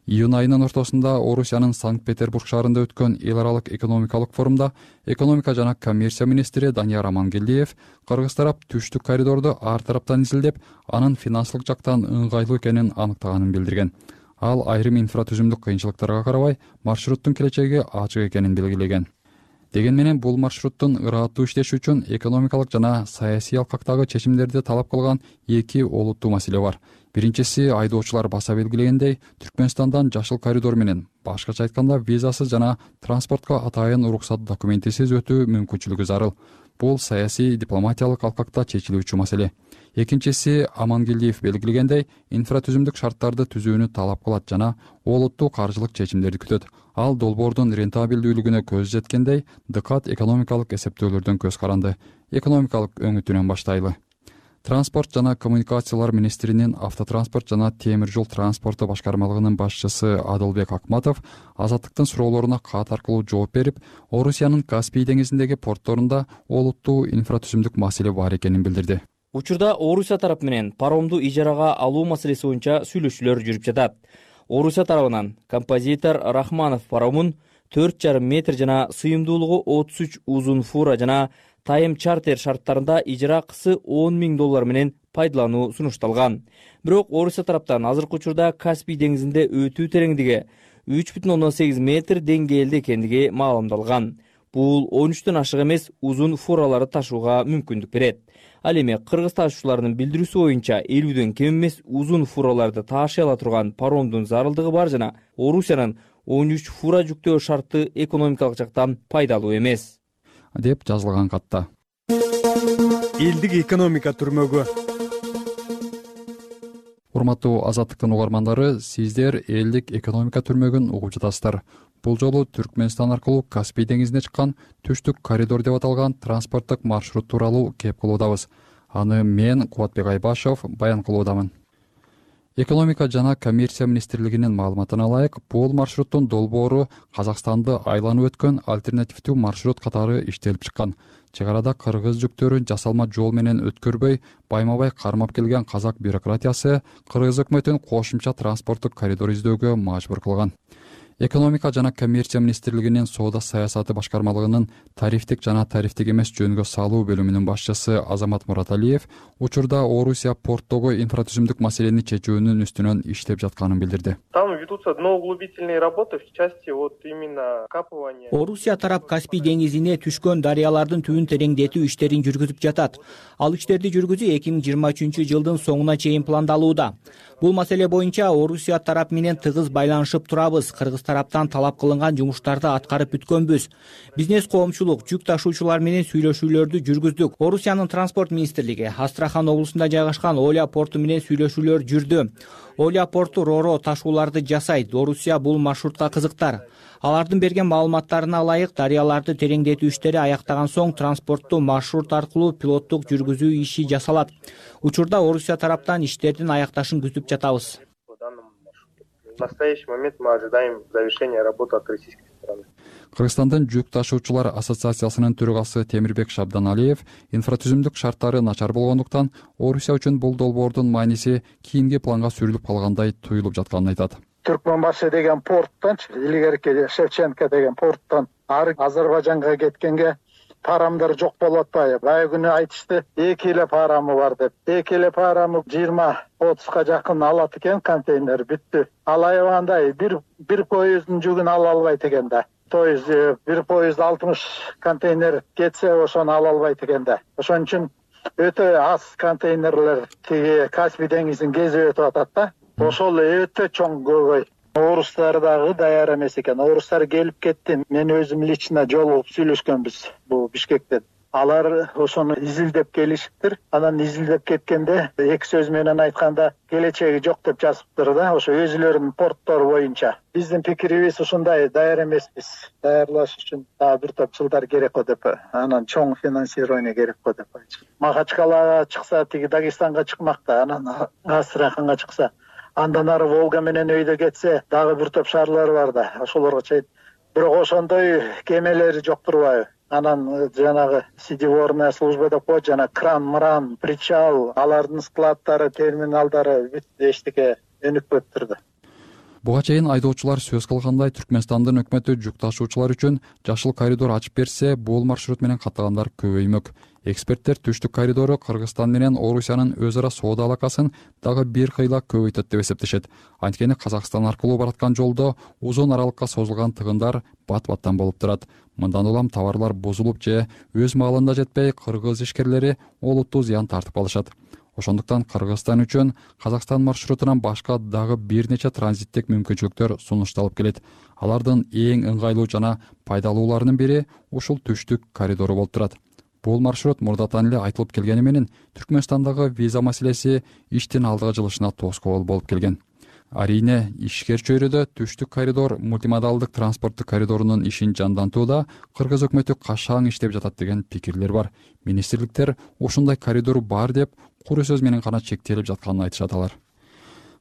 Июнь айынын ортосунда Орусиянын Санкт-Петербург шаарында өткөн эл аралык экономикалык форумда экономика жана коммерция министри Данияр Амангелдиев Кыргыз тарап түштүк коридорду ар тараптан изилдеп, анын финансылык жактан ыңгайлуу экенин аныктаганын билдирген. Ал айрым инфратүзүмдүк кыйынчылыктарга карабай маршруттун келечеги ачык экенин белгилеген. Деген менен бул маршруттун ыраттуу иштеши үчүн экономикалык жана саясий алкактагы чечимдерди талап кылган эки олуттуу маселе бар. Биринчиси, айдоочулар баса белгилегендей, Түркмөнстандан жашыл коридор менен, башкача айтканда визасыз жана транспортко атайын уруксат документисиз өтүү мүмкүнчүлүгү зарыл. Бул саясий дипломатиялык алкакта чечилүүчү маселе. Экинчиси, Амангелдиев белгилегендей, инфратүзүмдүк шарттарды түзүүнү талап кылат жана олуттуу каржылык чечимдерди күтөт. Ал долбоордун рентабелдүүлүгүнө көз жеткендей, дыкат экономикалык эсептөөлөрдөн көз каранды. Экономикалык өңүтүнөн баштайлы. Транспорт жана коммуникациялар министринин автотранспорт жана темир жол транспорту башкармалыгынын башчысы Адылбек Акматов Азаттыктын суроолоруна кат аркылуу жооп берип, Орусиянын Каспий деңизиндеги портторунда олуттуу инфратүзүмдүк маселе бар экенин билдирди. Учурда Орусия тарап менен паромду ижарага алуу маселеси боюнча сүйлөшүүлөр жүрүп жатат. Орусия тарабынан композитор Рахманов паромун 4,5 метр жана сыйымдуулугу 33 узун фура жана тайм чартер шарттарында ижара акысы $10,000 менен пайдалануу сунушталган. Бирок Орусия тараптан азыркы учурда Каспий деңизинде өтүү тереңдиги 3,8 метр деңгээлде экендиги маалымдалган. Бул 13төн ашык эмес узун фураларды ташууга мүмкүндүк берет. Ал эми кыргыз ташуучулардын билдирүүсү боюнча 50дөн кем эмес узун фураларды таашай ала турган паромдун зарылдыгы бар жана Орусиянын 13 фура жүктөө шарты экономикалык жактан пайдалуу эмес деп жазылган катта. Элдик экономика түрмөгү. Урматтуу Азаттыктын угармандары, сиздер элдик экономика түрмөгүн угуп жатасыздар. Бул жолу Түркмөнстан аркылуу Каспий деңизине чыккан түштүк коридор деп аталган транспорттук маршрут тууралуу кеп кылуудабыз. Аны мен, Кубатбек Айбашев, баян кылуудамын. Экономика жана коммерция министрлигинин маалыматына алайык, бул маршруттун долбоору Казакстанды айланып өткөн альтернативдүү маршрут катары иштелип чыккан. Чек арада кыргыз жүктөрүн жасалма жол менен өткөрбөй, байма-бай кармап келген казак бюрократиясы кыргыз өкмөтүн кошумча транспорттук коридор издөөгө мажбур кылган. Экономика жана коммерция министрлигинин соода саясаты башкармалыгынын тарифтик жана тарифтик эмес жөнгө салуу бөлүмүнүн башчысы Азамат Мураталиев учурда Орусия порттогу инфратүзүмдүк маселени чечүүнүн үстүнөн иштеп жатканын билдирди. Там ведутся дноуглубительные работы в части вот именно капывания. Орусия тарап Каспий деңизине түшкөн дарыялардын түбүн тереңдетүү иштерин жүргүзүп жатат. Ал иштерди жүргүзүү 2023 жылдын соңуна чейин пландалууда. Бул маселе боюнча Орусия тарап менен тыгыз байланышып турабыз. Кыргыз тараптан талап кылынган жумуштарды аткарып бүткөнбүз. Бизнес коомчулук, жүк ташуучулар менен сүйлөшүүлөрдү жүргүздүк. Орусиянын транспорт министрлиги Астрахан облусунда жайгашкан Оля порту менен сүйлөшүүлөр жүрдү. Оля порту ро-ро ташууларды жасайт. Орусия бул маршрутка кызыктар. Алардын берген маалыматтарына ылайык, дарыяларды тереңдетүү иштери аяктаган соң транспорттуу маршрут аркылуу пилоттук жүргүзүү иши жасалат. Учурда Орусия тараптан иштердин аякташын күтүп жатабыз. В настоящий момент мы ожидаем завершения работы от российской стороны. Кыргызстандын жүк ташуучулар ассоциациясынын төрагасы Темирбек Шабданалиев инфратүзүмдүк шарттары начар болгондуктан Орусия үчүн бул долбоордун мааниси кийинки планга сүрүлүп калгандай туюлуп жатканын айтат. Түркмөнбашы деген порттончу, илгерки Шевченко деген порттон Азербайжанга кеткенге парамдар жок болуп атпайбы? Баягы күнү айтышты, 2 эле парамы бар деп. 2 эле парамы 20-30га жакын алат экен контейнер, бүттү. Ал аябагандай бир поезддин жүгүн ала албайт экен да. То есть бир поезд 60 контейнер кетсе, ошону ала албайт экен да. Ошон үчүн өтө аз контейнерлер тиги Каспий деңизин кезип өтүп атат да. Ошол өтө чоң көбөй. Орустар дагы даяр эмес экен. Орустар келип кетти. Мен өзүм лично жолугуп сүйлөшкөнбүз бул Бишкектен. Алар ошону изилдеп келишиптир. Анан изилдеп кеткенде эки сөз менен айтканда келечеги жок деп жазыптыр да, ошо өзүлөрүнүн порттор боюнча. Биздин пикирибиз ушундай, даяр эмеспиз. Даярдаш үчүн дагы бир топ жылдар керек го деп, анан чоң финансирование керек го деп айтышты. Махачкалага чыкса, тиги Дагестанга чыкмак да, анан Астраханга чыкса, андан ары Волга менен өйдө кетсе, дагы бир топ шаарлар бар да, ошолорго чейин. Бирок ошондой кемелери жок турбайбы? Анан жанагы сидеворная служба деп коет, жана кран-мран, причал, алардын складдары, терминалдары бүт эчтеке өнүкпөптүр да. Буга чейин айдоочулар сөз кылгандай, Түркмөнстандын өкмөтү жүк ташуучулар үчүн жашыл коридор ачып берсе, бул маршрут менен каттагандар көбөймөк. Эксперттер түштүк коридору Кыргызстан менен Орусиянын өз ара соода алакасын дагы бир кыйла көбөйтөт деп эсептешет. Анткени Казакстан аркылуу бараткан жолдо узун аралыкка созулган тыгындар бат-баттан болуп турат. Мындан улам товарлар бузулуп же өз маалында жетпей, кыргыз ишкерлери олуттуу зыян тартып алышат. Ошондуктан Кыргызстан үчүн Казакстан маршрутунан башка дагы бир нече транзиттик мүмкүнчүлүктөр сунушталып келет. Алардын эң ыңгайлуу жана пайдалууларынын бири ушул түштүк коридору болуп турат. Бул маршрут мурдатан эле айтылып келгени менен Түркмөнстандагы виза маселеси иштин алдыга жылышына тоскоол болуп келген. Арийне, ишкер чөйрөдө түштүк коридор мультимодалдык транспорттук коридорунун ишин жандантууда Кыргыз өкмөтү кашаң иштеп жатат деген пикирлер бар. Министрликтер ушундай коридор бар деп куру сөз менен гана чектелип жатканын айтышат алар.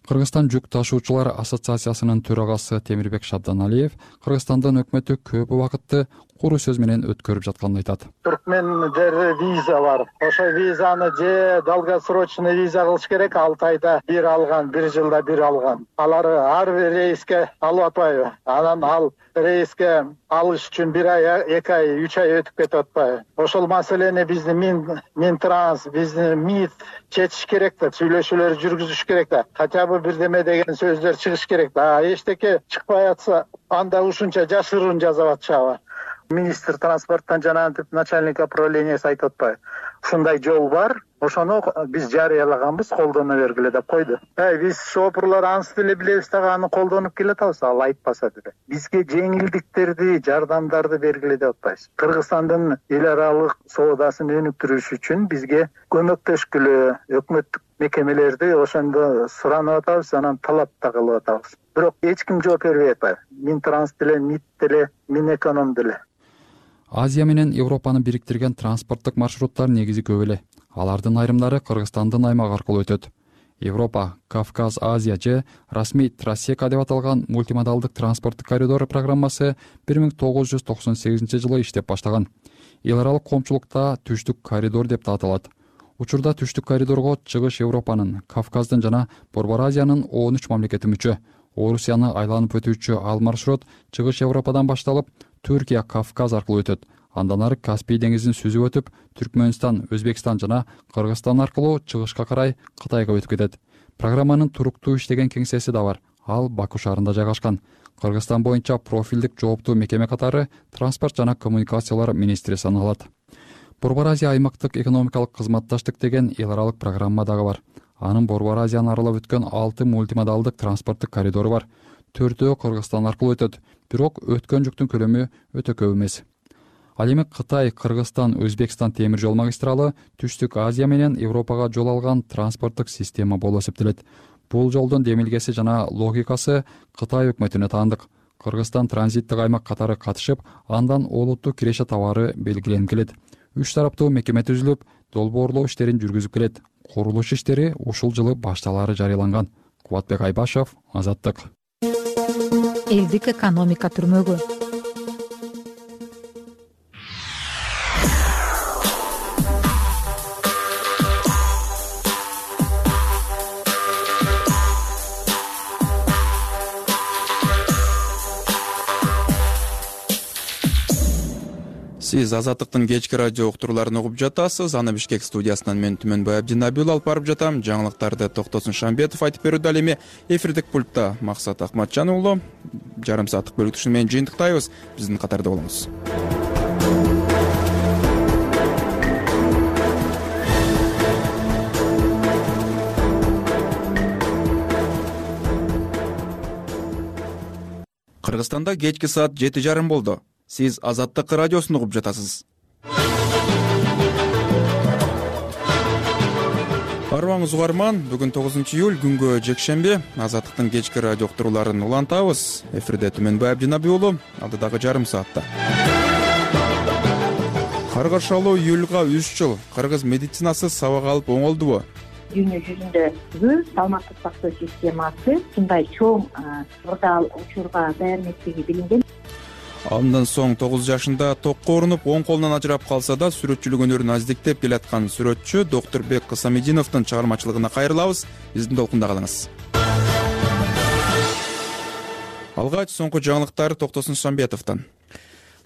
Кыргызстан жүк ташуучулар ассоциациясынын төрагасы Темирбек Шабданалиев Кыргызстандын өкмөтү көп убакытты куру сөз менен өткөрүп жатканын айтат. Түркменде виза бар. Ошо визаны же долгосрочный виза кылыш керек, 6 айда бир алган, 1 жылда бир алган. Алар ар бир рейске алып атпайбы? Анан ал рейске алыш үчүн 1 ай, 2 ай, 3 ай өтүп кетип атпайбы? Ошол маселени биздин Минтранс, биздин МИД чечиш керек да, сүйлөшүүлөр жүргүзүш керек да. Хотя бы бирдеме деген сөздөр чыгыш керек да. Эчтеке чыкпай атса, анда ушунча жашыруун жасап атышабы? Министр транспорттан жана начальник управлениясы айтып атпайбы? Ушундай жол бар, ошону биз жарыялаганбыз, колдоно бергиле деп койду. Биз шопурлар анысы деле билебиз дагы, аны колдонуп келатабыз, ал айтпаса деле. Бизге жеңилдиктерди, жардамдарды бергиле деп атпайбыз. Кыргызстандын эл аралык соодасын өнүктүрүш үчүн бизге көмөктөшкүлө өкмөттүк мекемелерди ошондо суранып атабыз, анан талап да кылып атабыз. Бирок эч ким жооп бербей атпайбы. Минтранс деле, МИД деле, Минэконом деле. Азия менен Европаны бириктирген транспорттук маршруттар негизи көп эле. Алардын айрымдары Кыргызстандын аймагы аркылуу өтөт. Европа, Кавказ, Азия же расмий Трассека деп аталган мультимодалдык транспорттук коридор программасы 1998-жылы иштеп баштаган. Эл аралык коомчулукта түштүк коридор деп да аталат. Учурда түштүк коридорго чыгыш Европанын, Кавказдын жана Борбор Азиянын 13 мамлекети мүчө. Орусияны айланып өтүүчү ал маршрут чыгыш Европадан башталып, Түркия, Кавказ аркылуу өтөт. Андан ары Каспий деңизин сүзүп өтүп, Түркмөнстан, Өзбекстан жана Кыргызстан аркылуу чыгышка карай Кытайга өтүп кетет. Программанын туруктуу иштеген кеңсеси да бар. Ал Баку шаарында жайгашкан. Кыргызстан боюнча профилдик жооптуу мекеме катары Транспорт жана коммуникациялар министри саналат. Борбор Азия аймактык экономикалык кызматташтык деген эл аралык программа дагы бар. Анын Борбор Азияны аралап өткөн 6 мультимодалдык транспорттук коридору бар. 4-өө Кыргызстан аркылуу өтөт, бирок өткөн жүктүн көлөмү өтө көп эмес. Ал эми Кытай, Кыргызстан, Өзбекстан темир жол магистралы Түштүк Азия менен Европага жол алган транспорттук система болуп эсептелет. Бул жолдун демилгеси жана логикасы Кытай өкмөтүнө таандык. Кыргызстан транзиттик аймак катары катышып, андан олуттуу киреше товары белгиленип келет. 3 тараптуу мекеме түзүлүп, долбоорлоо иштерин жүргүзүп келет. Курулуш иштери ушул жылы башталары жарыяланган. Кубатбек Айбашев, Азаттык. Элдик экономика түрмөгү. Сиз Азаттыктын кечки радио уктурууларын угуп жатасыз. Аны Бишкек студиясынан мен Түмөнбай Абдинабиул алып барып жатам. Жаңылыктарды Токтосун Шамбетов айтып берүүдө. Ал эми эфирдик пультта Максат Акматжан уулу. Жарым сааттык бөлүктүшүн менен жыйынтыктайбыз. Биздин катарда болуңуз. Кыргызстанда кечки саат 7:30 болду. Сиз Азаттык радиосун угуп жатасыз. Арыбаңыз угарман, бүгүн 9 июль, күнгө жекшемби. Азаттыктын кечки радио уктурууларын улантабыз. Эфирде Түмөнбай Абдинабиулу, алдыдагы жарым саатта. Каргашалуу июлга 3 жыл. Кыргыз медицинасы сабак алып оңолдубу? Дүйнө жүзүндө саламаттык сактоо системасы ушундай чоң ырдаал учурга даяр эместиги билинген. Андан соң 9 жашында токко урунуп, оң колунан ажырап калса да, сүрөтчүлүк өнөрүн аздиктеп келаткан сүрөтчү Доктурбек Кысамидиновдун чыгармачылыгына кайрылабыз. Биздин толкунда калыңыз. Алгач соңку жаңылыктар Токтосун Шамбетовдон.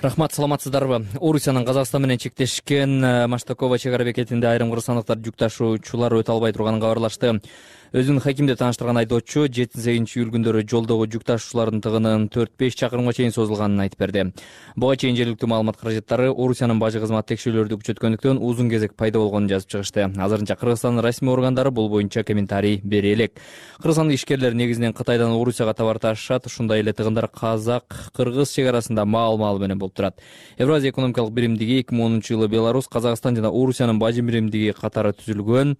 Рахмат, саламатсыздарбы? Орусиянын Казакстан менен чектешкен Маштакова чек ара бекетинде айрым кыргызстандыктар жүк ташуучулар өтө албай турганын кабарлашты. Өзүн Хакимде тааныштырган айдоочу 7-8 июль күндөрү жолдогу жүк ташуучулардын тыгынын 4-5 чакырымга чейин созулганын айтып берди. Буга чейин жергиликтүү маалымат каражаттары Орусиянын бажы кызмат текшерүүлөрдү күчөткөндүктөн узун кезек пайда болгонун жазып чыгышты. Азырынча Кыргызстандын расмий органдары бул боюнча комментарий бере элек. Кыргызстандык ишкерлер негизинен Кытайдан Орусияга товар ташышат, ушундай эле тыгындар казак-кыргыз чек арасында маал-маал менен болуп турат. Евразия экономикалык биримдиги 2010-жылы Беларусь, Казакстан жана Орусиянын бажы биримдиги катары түзүлгөн.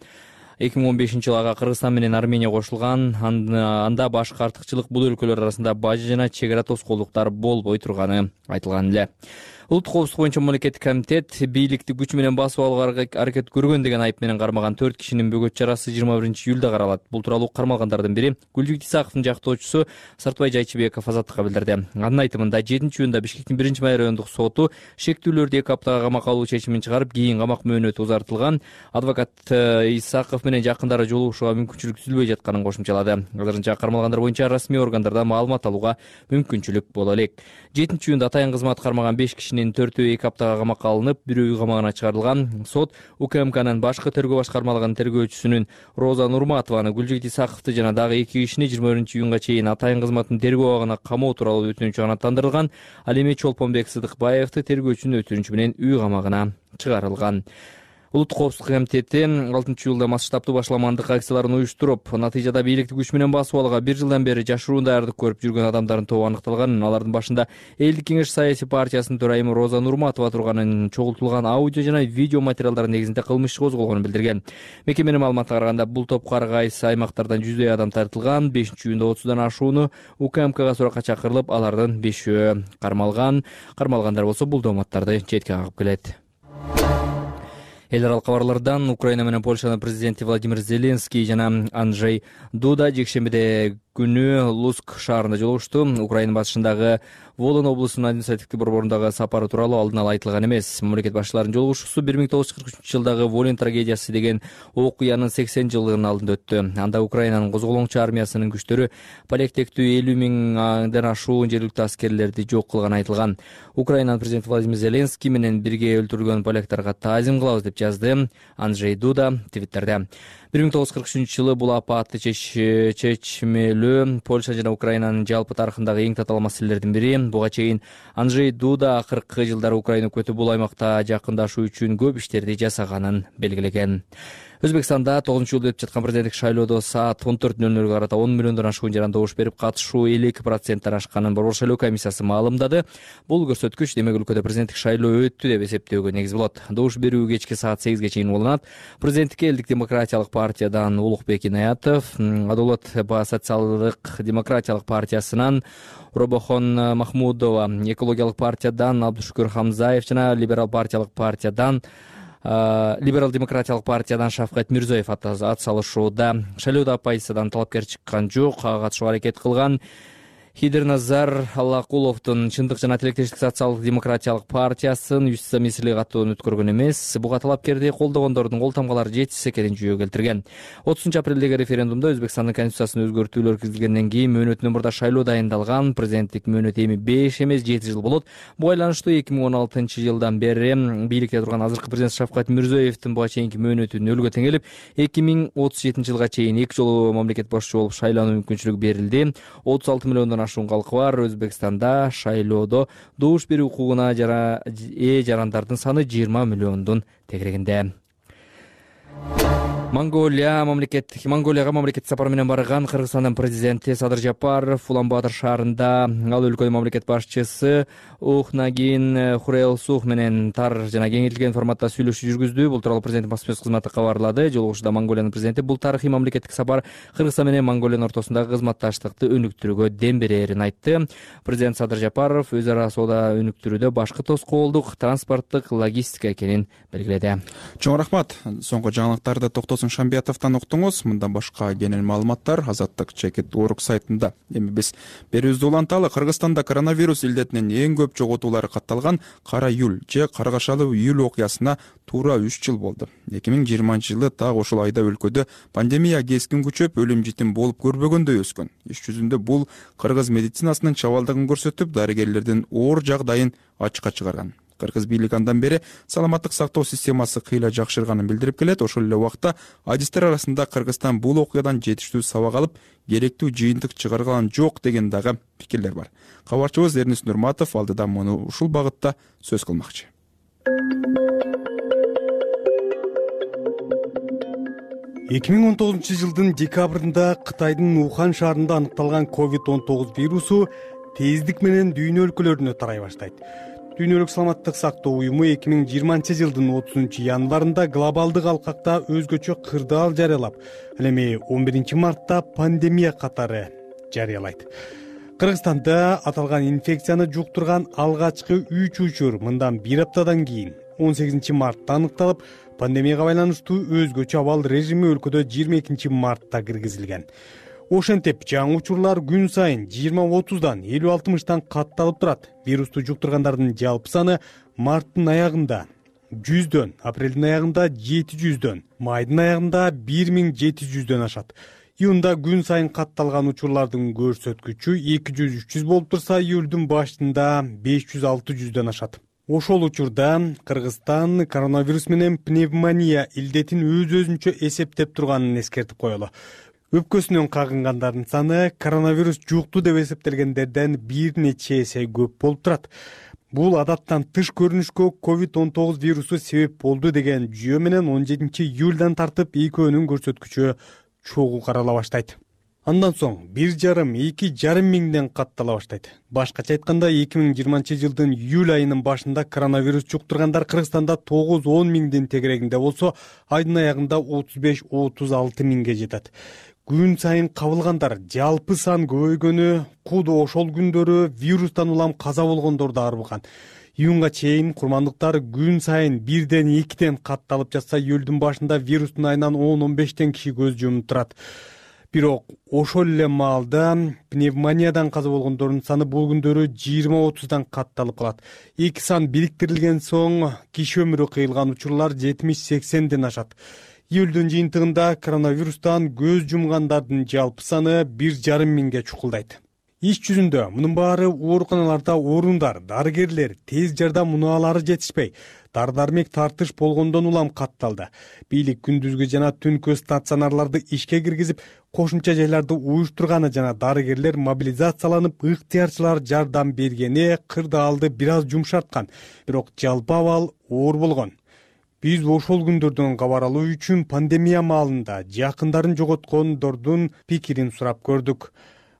2015-жылы ага Кыргызстан менен Армения кошулган. Анда башкы артыкчылык бул өлкөлөр арасында бажы жана чек ара тоскоолдуктар болбой турганы айтылган эле. Улуттук коопсуздук боюнча мамлекеттик комитет бийликти күч менен басып алууга аракет көргөн деген айып менен кармаган 4 кишинин бөгөт чарасы 21-июлда каралат. Бул тууралуу кармалгандардын бири Гүлжүк Исаковдун жактоочусу Сартбай Жайчыбеков Азаттыкка билдирди. Анын айтымында 7-июнда Бишкектин 1-май райондук соту шектүүлөрдү 2 аптага камакка алуу чечимин чыгарып, кийин камак мөөнөтү узартылган. Адвокат Исаков менен жакындары жолугушууга мүмкүнчүлүк түзүлбөй жатканын кошумчалады. Азырынча кармалгандар боюнча расмий органдардан маалымат алууга мүмкүнчүлүк боло элек. 7-июнда атайын кызмат кармаган 5 кишинин 4-2 аптага камакка алынып, бирөө үй камагына чыгарылган. Сот УКМКнын башкы тергөө башкармалыгынын тергөөчүсүнүн Роза Нурматованы, Гүлжүк Исаковду жана дагы 2 кишини 21-июнга чейин атайын кызматтын тергөө абагына камоо тууралуу өтүнүчү канааттандырылган. Ал эми Чолпонбек Сыдыкбаевди тергөөчүнүн өтүнүчү менен үй камагына чыгарылган. Улуттук коопсуздук комитети 6-июлда масштабтуу башламандык акцияларын уюштуруп, натыйжада бийликти күч менен басып алууга 1 жылдан бери жашыруун даярдык көрүп жүргөн адамдардын тобу аныкталган. Алардын башында Элдик кеңеш саясий партиясынын төрайымы Роза Нурматова турганын, чогултулган аудио жана видео материалдар негизинде кылмыш иши козголгонун билдирген. Мекеменин маалыматына караганда, бул топко ар кайсы аймактардан 100дөй адам тартылган. 5-июнда 30дан ашууну УКМКга суракка чакырылып, алардын 5-өө кармалган. Кармалгандар болсо бул дооматтарды четке кагып келет. Эл аралык кабарлардан Украина менен Польшанын президенти Владимир Зеленский жана Анджей Дуда жекшембиде күнү Луцк шаарында жолугушту. Украина батышындагы Волын облусунун административдик борборундагы сапары тууралуу алдын ала айтылган эмес. Мамлекет башчыларынын жолугушуусу 1943-жылдагы Волын трагедиясы деген окуянын 80 жылдыгынын алдында өттү. Анда Украинанын козголоңчу армиясынын күчтөрү полектектүү 50 миңден ашуун жергиликтүү аскерлерди жок кылганы айтылган. Украинанын президенти Владимир Зеленский менен бирге өлтүрүлгөн поляктарга таазим кылабыз деп жазды Анджей Дуда Твиттерде. 1943-жылы бул апаатты чечмелөө Польша жана Украинанын жалпы тарыхындагы эң татаал маселелердин бири. Буга чейин Анджей Дуда акыркы жылдары Украина өкмөтү бул аймакта жакындашуу үчүн көп иштерди жасаганын белгилеген. Өзбекстанда 9-июлда өтүп жаткан президенттик шайлоодо саат 14:00 карата 10 миллиондон ашуун жаран добуш берип, катышуу 52%-тен ашканын Борбор шайлоо комиссиясы маалымдады. Бул көрсөткүч демек өлкөдө президенттик шайлоо өттү деп эсептөөгө негиз болот. Добуш берүү кечки саат 8ге чейин уланат. Президенттикке Элдик демократиялык партиядан Улукбек Инаятов, Адолот социалдык демократиялык партиясынан Робохон Махмудова, экологиялык партиядан Абдушукур Хамзаев жана либерал демократиялык партиядан Шавкат Мирзоев ат салышууда. Шайлоодо оппозициядан талапкер чыккан жок, ага катышууга аракет кылган Хидерназар Аллакуловдун Чындык жана тилектештик социалдык демократиялык партиясын юстиция мисили катууну өткөргөн эмес, буга талапкерди колдогондордун кол тамгалары жетишсиз экенин жүйөгө келтирген. 30-апрелдеги референдумда Өзбекстандын конституциясына өзгөртүүлөр киргизилгенден кийин мөөнөтүнөн мурда шайлоо дайындалган. Президенттик мөөнөт эми 5 эмес 7 жыл болот. Буга байланыштуу 2016-жылдан бери бийликте турган азыркы президент Шавкат Мирзиёевдин буга чейинки мөөнөтү нөлгө теңелип, 2037-жылга чейин 2 жолу мамлекет башчысы болуп шайлануу мүмкүнчүлүгү берилди. 36 миллиондон ашуун калкы бар Өзбекстанда шайлоодо добуш берүү укугуна жарандардын саны 20 миллиондун тегерегинде. Монголияга мамлекеттик сапар менен барган Кыргызстандын президенти Садыр Жапаров Улан-Баатыр шаарында ал өлкөнүн мамлекет башчысы Ухнагин Хурелсух менен тар жана кеңейтилген форматта сүйлөшүү жүргүздү. Бул тууралуу президенттин басма сөз кызматы кабарлады. Жолугушууда Монголиянын президенти бул тарыхый мамлекеттик сапар Кыргызстан менен Монголиянын ортосундагы кызматташтыкты өнүктүрүүгө дем берерин айтты. Президент Садыр Жапаров өз ара соода өнүктүрүүдө башкы тоскоолдук транспорттук логистика экенин белгиледи. Чоң рахмат. Соңку жаңылыктарды Шамбиятовдон уктуңуз. Мындан башка кенен маалыматтар Азаттык чекит Орг сайтында. Эми биз берүүбүздү уланталы. Кыргызстанда коронавирус илдетинин эң көп жоготуулары катталган Кара июль же Каргашалуу июль окуясына туура 3 жыл болду. 2020-жылы так ошол айда өлкөдө пандемия кескин күчөп, өлүм житим болуп көрбөгөндөй өскөн. Иш жүзүндө бул кыргыз медицинасынын чабалдыгын көрсөтүп, дарыгерлердин оор жагдайын ачыкка чыгарган. Кыргыз бийлиги андан бери саламаттык сактоо системасы кыйла жакшырганын билдирип келет. Ошол эле убакта адистер арасында Кыргызстан бул окуядан жетиштүү сабак алып, керектүү жыйынтык чыгарган жок деген дагы пикирлер бар. Кабарчыбыз Эрнис Нурматов алдыда муну ушул багытта сөз кылмакчы. 2019 жылдын декабрында Кытайдын Ухан шаарында аныкталган COVID-19 вирусу тездик менен дүйнө өлкөлөрүнө тарай баштайт. Дүйнөлүк саламаттык сактоо уюму 2020 жылдын 30 январында глобалдык алкакта өзгөчө кырдаал жарыялап, ал эми 11 мартта пандемия катары жарыялайт. Кыргызстанда аталган инфекцияны жуктурган алгачкы 3 учур мындан 1 аптадан кийин 18 мартта аныкталып, пандемияга байланыштуу өзгөчө абал режими өлкөдө 22 мартта киргизилген. Ошентип, жаңы учурлар күн сайын 20-30дан 50-60тан катталып турат. Вирусту жуктургандардын жалпы саны марттын аягында 100дөн, апрелдин аягында 700дөн, майдын аягында 1700дөн ашат. Июнда күн сайын катталган учурлардын көрсөткүчү 200-300 болуп турса, июлдун башында 500-600дөн ашат. Ошол учурда Кыргызстан коронавирус менен пневмония илдетин өз-өзүнчө эсептеп турганын эскертип коелу. Өпкөсүнөн кагынгандардын саны коронавирус жукту деп эсептелгендерден бир нече эсе көп болуп турат. Бул адаттан тыш көрүнүшкө COVID-19 вирусу себеп болду деген жүйө менен 17 июлдан тартып экөөнүн көрсөткүчү чогуу карала баштайт. Андан соң 1,5–2,5 миңден каттала баштайт. Башкача айтканда 2020 жылдын июль айынын башында коронавирус жуктургандар Кыргызстанда 9-10 миңдин тегерегинде болсо, айдын аягында 35–36 миңге жетет. Күн сайын кабылгандар жалпы сан көбөйгөнү, куду ошол күндөрү вирустан улам каза болгондорду арбыган. Июнга чейин курмандыктар күн сайын 1-2ден катталып жатса, июлдун башында вирустун айынан 10-15тен киши көз жумуп турат. Бирок ошол эле маалда пневмониядан каза болгондордун саны бул күндөрү 20-30дан катталып калат. Эки сан бириктирилген соң киши өмүрү кыйылган учурлар 70-80ден ашат. Июлдун жыйынтыгында коронавирустан көз жумгандардын жалпы саны 1,5 миңге чукулдайт. Иш жүзүндө мунун баары ооруканаларда орундар, дарыгерлер, тез жардам унаалары жетишпей, дары-дармек тартыш болгондон улам катталды. Бийлик күндүзгү жана түнкү стационарларды ишке киргизип, кошумча жайларды уюштурганы жана дарыгерлер мобилизацияланып, ыктыярчылар жардам бергени кырдаалды бир аз жумшарткан, бирок жалпы абал оор болгон. Биз ошол күндөрдөн кабар алуу үчүн пандемия маалында жакындарын жоготкондордун пикирин сурап көрдүк.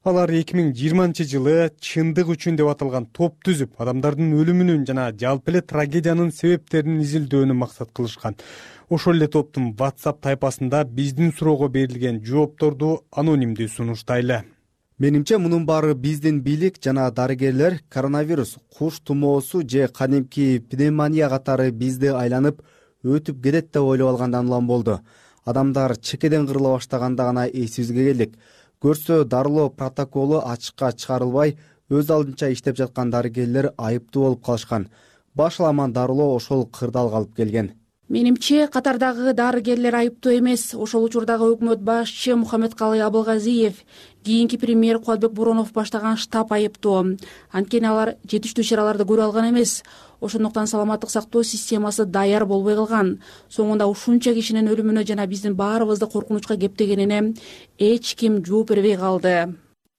Алар 2020 жылы чындык үчүн деп аталган топ түзүп, адамдардын өлүмүнүн жана жалпы эле трагедиянын себептерин изилдөөнү максат кылышкан. Ошол эле топтун WhatsApp тайпасында биздин суроого берилген жоопторду анонимдүү сунуштайлы. Менимче мунун баары биздин бийлик жана дарыгерлер коронавирус, куш тумоосу же кадимки пневмония катары бизди айланып өтүп кетет деп ойлоп алгандан улам болду. Адамдар чекеден кырыла баштаганда гана эсибизге келдик. көрсө дарылоо протоколу ачыкка чыгарылбай, өз алдынча иштеп жаткан дарыгерлер айыптуу болуп калышкан. Башаламан дарылоо ошол кырдаалга алып келген. Менимче, катардагы дарыгерлер айыптуу эмес. Ошол учурдагы өкмөт башчы Мухаммедкалый Абылгазиев, кийинки премьер Кубатбек Боронов баштаган штаб айыптуу. Анткени алар жетиштүү чараларды көрө алган эмес. Ошондуктан саламаттык сактоо системасы даяр болбой калган. Соңунда ушунча кишинин өлүмүнө жана биздин баарыбызды коркунучка кептегенине эч ким жооп бербей калды.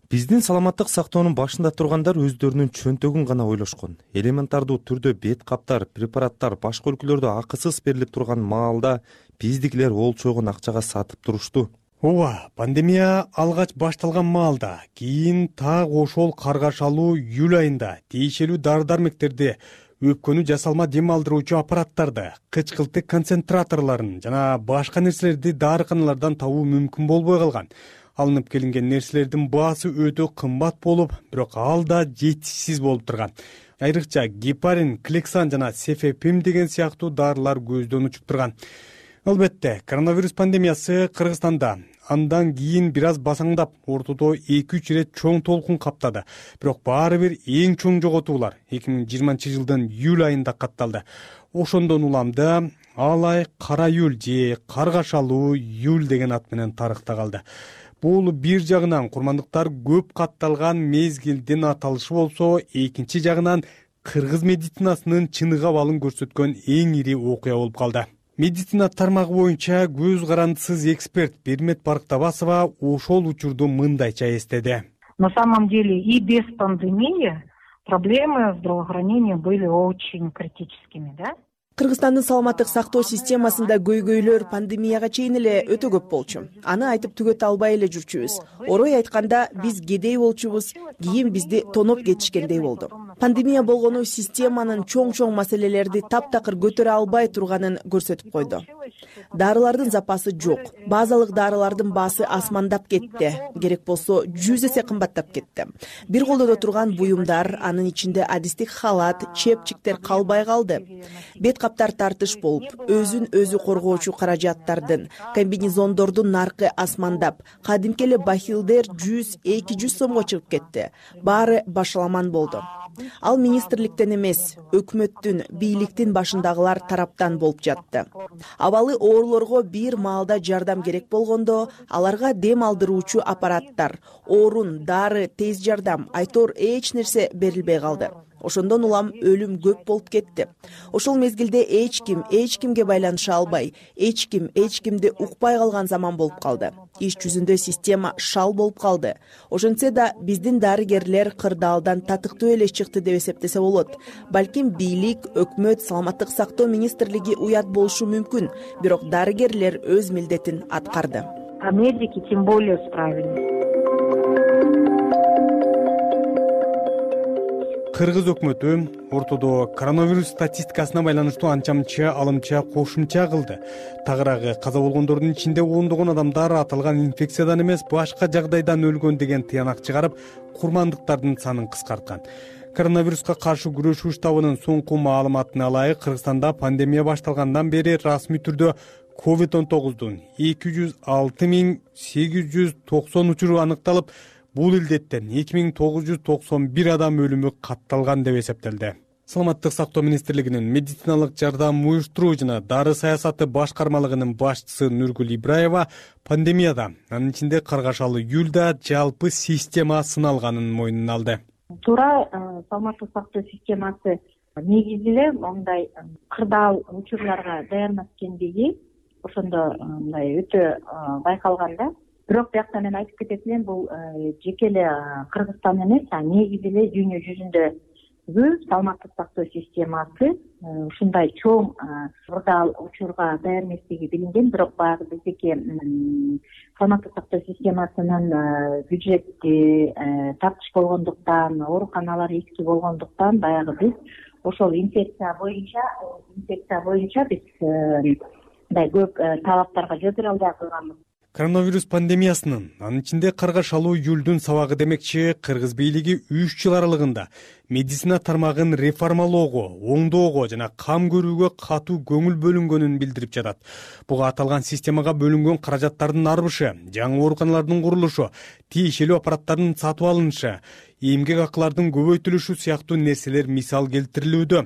Биздин саламаттык сактоонун башында тургандар өздөрүнүн чөнтөгүн гана ойлошкон. Элементардуу түрдө бет каптар, препараттар башка өлкөлөрдө акысыз берилип турган маалда биздикилер олчогон акчага сатып турушту. Ооба, пандемия алгач башталган маалда, кийин так ошол каргашалуу июль айында тиешелүү дары-дармектерди, өпкөнү жасалма дем алдыруучу аппараттарды, кычкылтык концентраторлорун жана башка нерселерди дарыканалардан табуу мүмкүн болбой калган. Алынып келинген нерселердин баасы өтө кымбат болуп, бирок ал да жетишсиз болуп турган. Айрыкча гепарин, клексан жана сефепим деген сыяктуу дарылар көздөн учуп турган. Албетте, коронавирус пандемиясы Кыргызстанда андан кийин бир аз басаңдап, ортодо 2-3 ирет чоң толкун каптады. Бирок баары бир эң чоң жоготуулар 2020-жылдын июль айында катталды. Ошондон уламда ал ай кара июль же каргашалуу июль деген ат менен тарыхта калды. Бул бир жагынан курмандыктар көп катталган мезгилдин аталышы болсо, экинчи жагынан кыргыз медицинасынын чыныгы абалын көрсөткөн эң ири окуя болуп калды. Медицина тармагы боюнча көз карандысыз эксперт Бермет Барктабасова ошол учурду мындайча эстеди. На самом деле и без пандемии проблемы здравоохранения были очень критическими, да? Кыргызстандын саламаттык сактоо системасында көйгөйлөр пандемияга чейин эле өтө көп болчу. Аны айтып түгөтө албай эле жүрчүбүз. Орой айтканда биз кедей болчубуз, кийин бизди тоноп кетишкендей болду. Пандемия болгону системанын чоң маселелерди таптакыр көтөрө албай турганын көрсөтүп койду. Дарылардын запасы жок. Базалык дарылардын баасы асмандап кетти. Керек болсо 100 эсе кымбаттап кетти. Бир колдодо турган буюмдар, анын ичинде адистик халат, чепчиктер калбай калды. Бет каптар тартыш болуп, өзүн өзү коргоочу каражаттардын, комбинезондордун наркы асмандап, кадимки эле бахилдер 100-200 сомго чыгып кетти. Баары башаламан болду. Ал министрликтен эмес, өкмөттүн, бийликтин башындагылар тараптан болуп жатты. Абалы оорулорго бир маалда жардам керек болгондо, аларга дем алдыруучу аппараттар, орун, дары, тез жардам, айтор эч нерсе берилбей калды. Ошондон улам өлүм көп болуп кетти. Ошол мезгилде эч кимге байланыша албай, эч кимди укпай калган заман болуп калды. Иш жүзүндө система шал болуп калды. Ошентсе да биздин дарыгерлер кырдаалдан татыктуу эле чыкты деп эсептесе болот. Балким бийлик, өкмөт, саламаттык сактоо министрлиги уят болушу мүмкүн, бирок дарыгерлер өз милдетин аткарды. А медики тем более справились. Кыргыз өкмөтү ортодо коронавирус статистикасына байланыштуу анча-мынча алымча кошумча кылды. Тагыраагы каза болгондордун ичинде ондогон адамдар аталган инфекциядан эмес, башка жагдайдан өлгөн деген тыянак чыгарып, курмандыктардын санын кыскарткан. Коронавируска каршы күрөшүү штабынын соңку маалыматына ылайык, Кыргызстанда пандемия башталгандан бери расмий түрдө COVID-19 206.890 учуру аныкталып, бул илдеттен 2991 адам өлүмү катталган деп эсептелди. Саламаттык сактоо министрлигинин медициналык жардам уюштуруу жана дары саясаты башкармалыгынын башчысы Нургүл Ибраева пандемияда, анын ичинде каргашалы июлда жалпы система сыналганын мойнуна алды. Туура саламаттык сактоо системасы негизи эле мындай кырдаал учурларга даярмас экендиги ошондо мындай өтө байкалган да. Бирок бияктан мен айтып кетет элем, бул жеке эле Кыргызстан эмес, негизи эле дүйнө жүзүндөгү саламаттык сактоо системасы ушундай чоң кырдаал учурга даяр эместиги билинген, бирок баягы биздики саламаттык сактоо системасынын бюджети тартыш болгондуктан, ооруканалар эски болгондуктан баягы биз ошол инфекция боюнча биз мындай көп талаптарга жол бере албай калганбыз. Коронавирус пандемиясынын, анын ичинде карга шалуу июлдун сабагы демекчи, кыргыз бийлиги 3 жыл аралыгында медицина тармагын реформалоого, оңдоого жана кам көрүүгө катуу көңүл бөлүнгөнүн билдирип жатат. Буга аталган системага бөлүнгөн каражаттардын арбышы, жаңы ооруканалардын курулушу, тиешелүү аппараттардын сатып алынышы, эмгек акылардын көбөйтүлүшү сыяктуу нерселер мисал келтирилүүдө.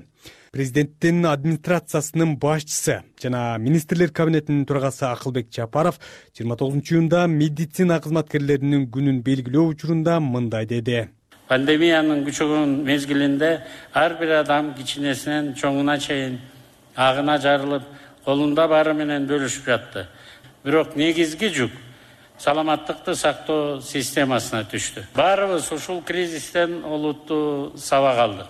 Президенттин администрациясынын башчысы жана министрлер кабинетинин төрагасы Акылбек Жапаров 29-июнда медицина кызматкерлеринин күнүн белгилөө учурунда мындай деди. Пандемиянын күчөгөн мезгилинде ар бир адам кичинесинен чоңуна чейин агына жарылып, колунда баары менен бөлүшүп жатты. Бирок негизги жүк саламаттыкты сактоо системасына түштү. Баарыбыз ушул кризистен олуттуу сабак алдык.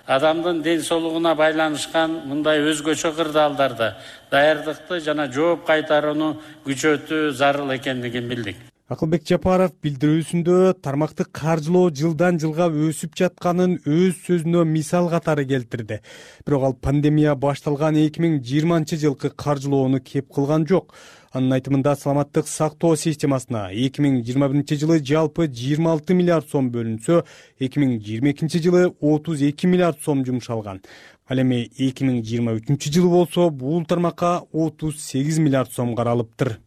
Адамдын ден соолугуна байланышкан мындай өзгөчө кырдаалдарда даярдыкты жана жооп кайтарууну күчөтүү зарыл экендигин билдик. Акылбек Жапаров билдирүүсүндө тармакты каржылоо жылдан жылга өсүп жатканын өз сөзүнө мисал катары келтирди. Бирок ал пандемия башталган 2020-жылкы каржылоону кеп кылган жок. Анын айтымында саламаттык сактоо системасына 2021-жылы жалпы 26 миллиард сом бөлүнсө, 2022-жылы 32 миллиард сом жумшалган. Ал эми 2023-жылы болсо бул тармакка 38 миллиард сом каралыптыр.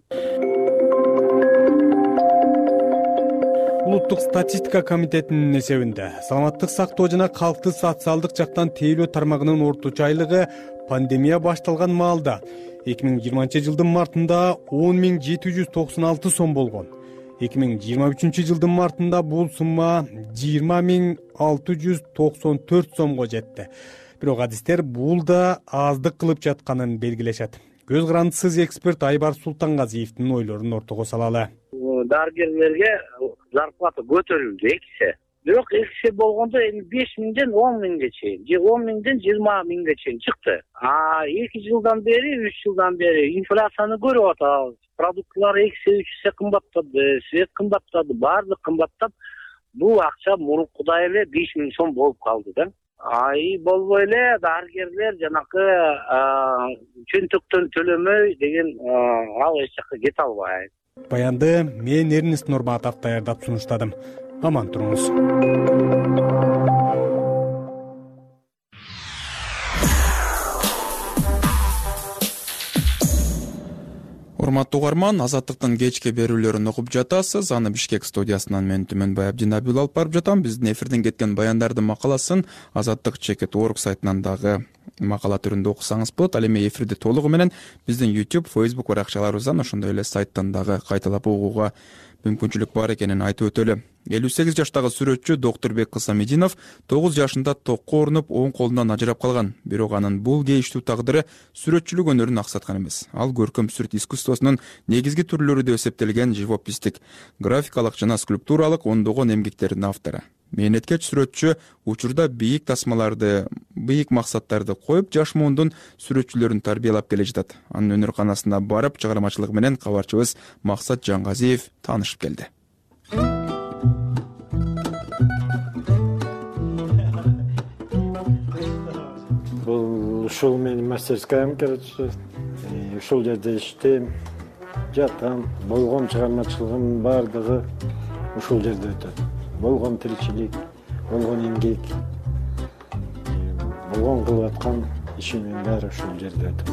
Улуттук статистика комитетинин эсебинде саламаттык сактоо жана калкты социалдык жактан тейлөө тармагынын орточо айлыгы пандемия башталган маалда 2020-жылдын мартында 10.796 сом болгон. 2023-жылдын мартында бул сумма 20.694 сомго жетти. Бирок адистер бул да аздык кылып жатканын белгилешет. Көз карандысыз эксперт Айбар Султангазиевдин ойлорун ортого салалы. Дарыгерлерге зарплата көтөрүлдү экисе. Бирок экисе болгондо эми 5.000ден 10.000ге чейин, же 10.000ден 20.000ге чейин чыкты. 2 жылдан бери, 3 жылдан бери инфляцияны көрүп атабыз. Продуктлар экисе, 3 эсе кымбаттады, свет кымбаттады, баардык кымбаттап, бул акча мурункудай эле 5.000 сом болуп калды да. Болбой эле дарыгерлер жанакы чөнтөктөн төлөмөй деген ал эч жакка кете албайт. Баянды мен Эрнест Нурматов даярдап сунуштадым. Аман туруңуз. Урматтуу угарман, Азаттыктын кечки берүүлөрүн угуп жатасыз. Аны Бишкек студиясынан мен Түмөнбай Абдинабил алып барып жатам. Биздин эфирден кеткен баяндардын макаласын Азаттык.org сайтынан дагы макала түрүндө окусаңыз болот. Ал эми эфирди толугу менен биздин YouTube, Facebook баракчаларыбыздан, ошондой эле сайттан дагы кайталап угууга мүмкүнчүлүк бар экенин айтып өтөлү. 58 жаштагы сүрөтчү Доктурбек Кысамединов 9 жашында токко ооруп, оң колунан ажырап калган. Бирок анын бул кейиштүү тагдыры сүрөтчүлүк өнөрүн аксаткан эмес. Ал көркөм сүрөт искусствосунун негизги түрлөрү деп эсептелген живопистик, графикалык жана скульптуралык ондогон эмгектердин автору. Мээнеткеч сүрөтчү учурда бийик тасмаларды, бийик максаттарды коюп, жаш муундун сүрөтчүлөрүн тарбиялап келе жатат. Анын өнөр-канасына барып, чыгармачылыгы менен кабарчыбыз Максат Жаңгазиев таанышып келди. Бул ушул менин мастерскаям, короче. Ушул жерде иштейм, жатам, болгон чыгармачылыгымдын баардыгы ушул жерде өтөт. Болгон тиричилик, болгон эмгек, болгон кылып аткан ишимдин баары ушул жерде өтөт.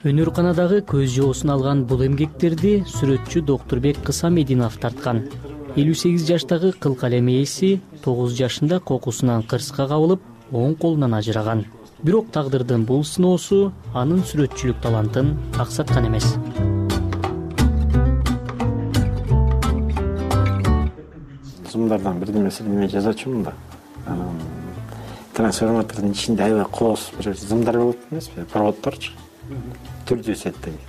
Өнөр-канадагы көз жоосун алган бул эмгектерди сүрөтчү Доктурбек Кысамединов тарткан. 58 жаштагы кыл калем ээси 9 жашында кокусунан кырсыкка кабылып, оң колунан ажыраган. Бирок тагдырдын бул сыноосу анын сүрөтчүлүк талантын аксаткан эмес. Зымдардан бирдемеси неме жазачумун да. Трансформатордун ичинде аябай колос бир зымдар болот эмеспи, проводторчу. Түрдүү сеттеги.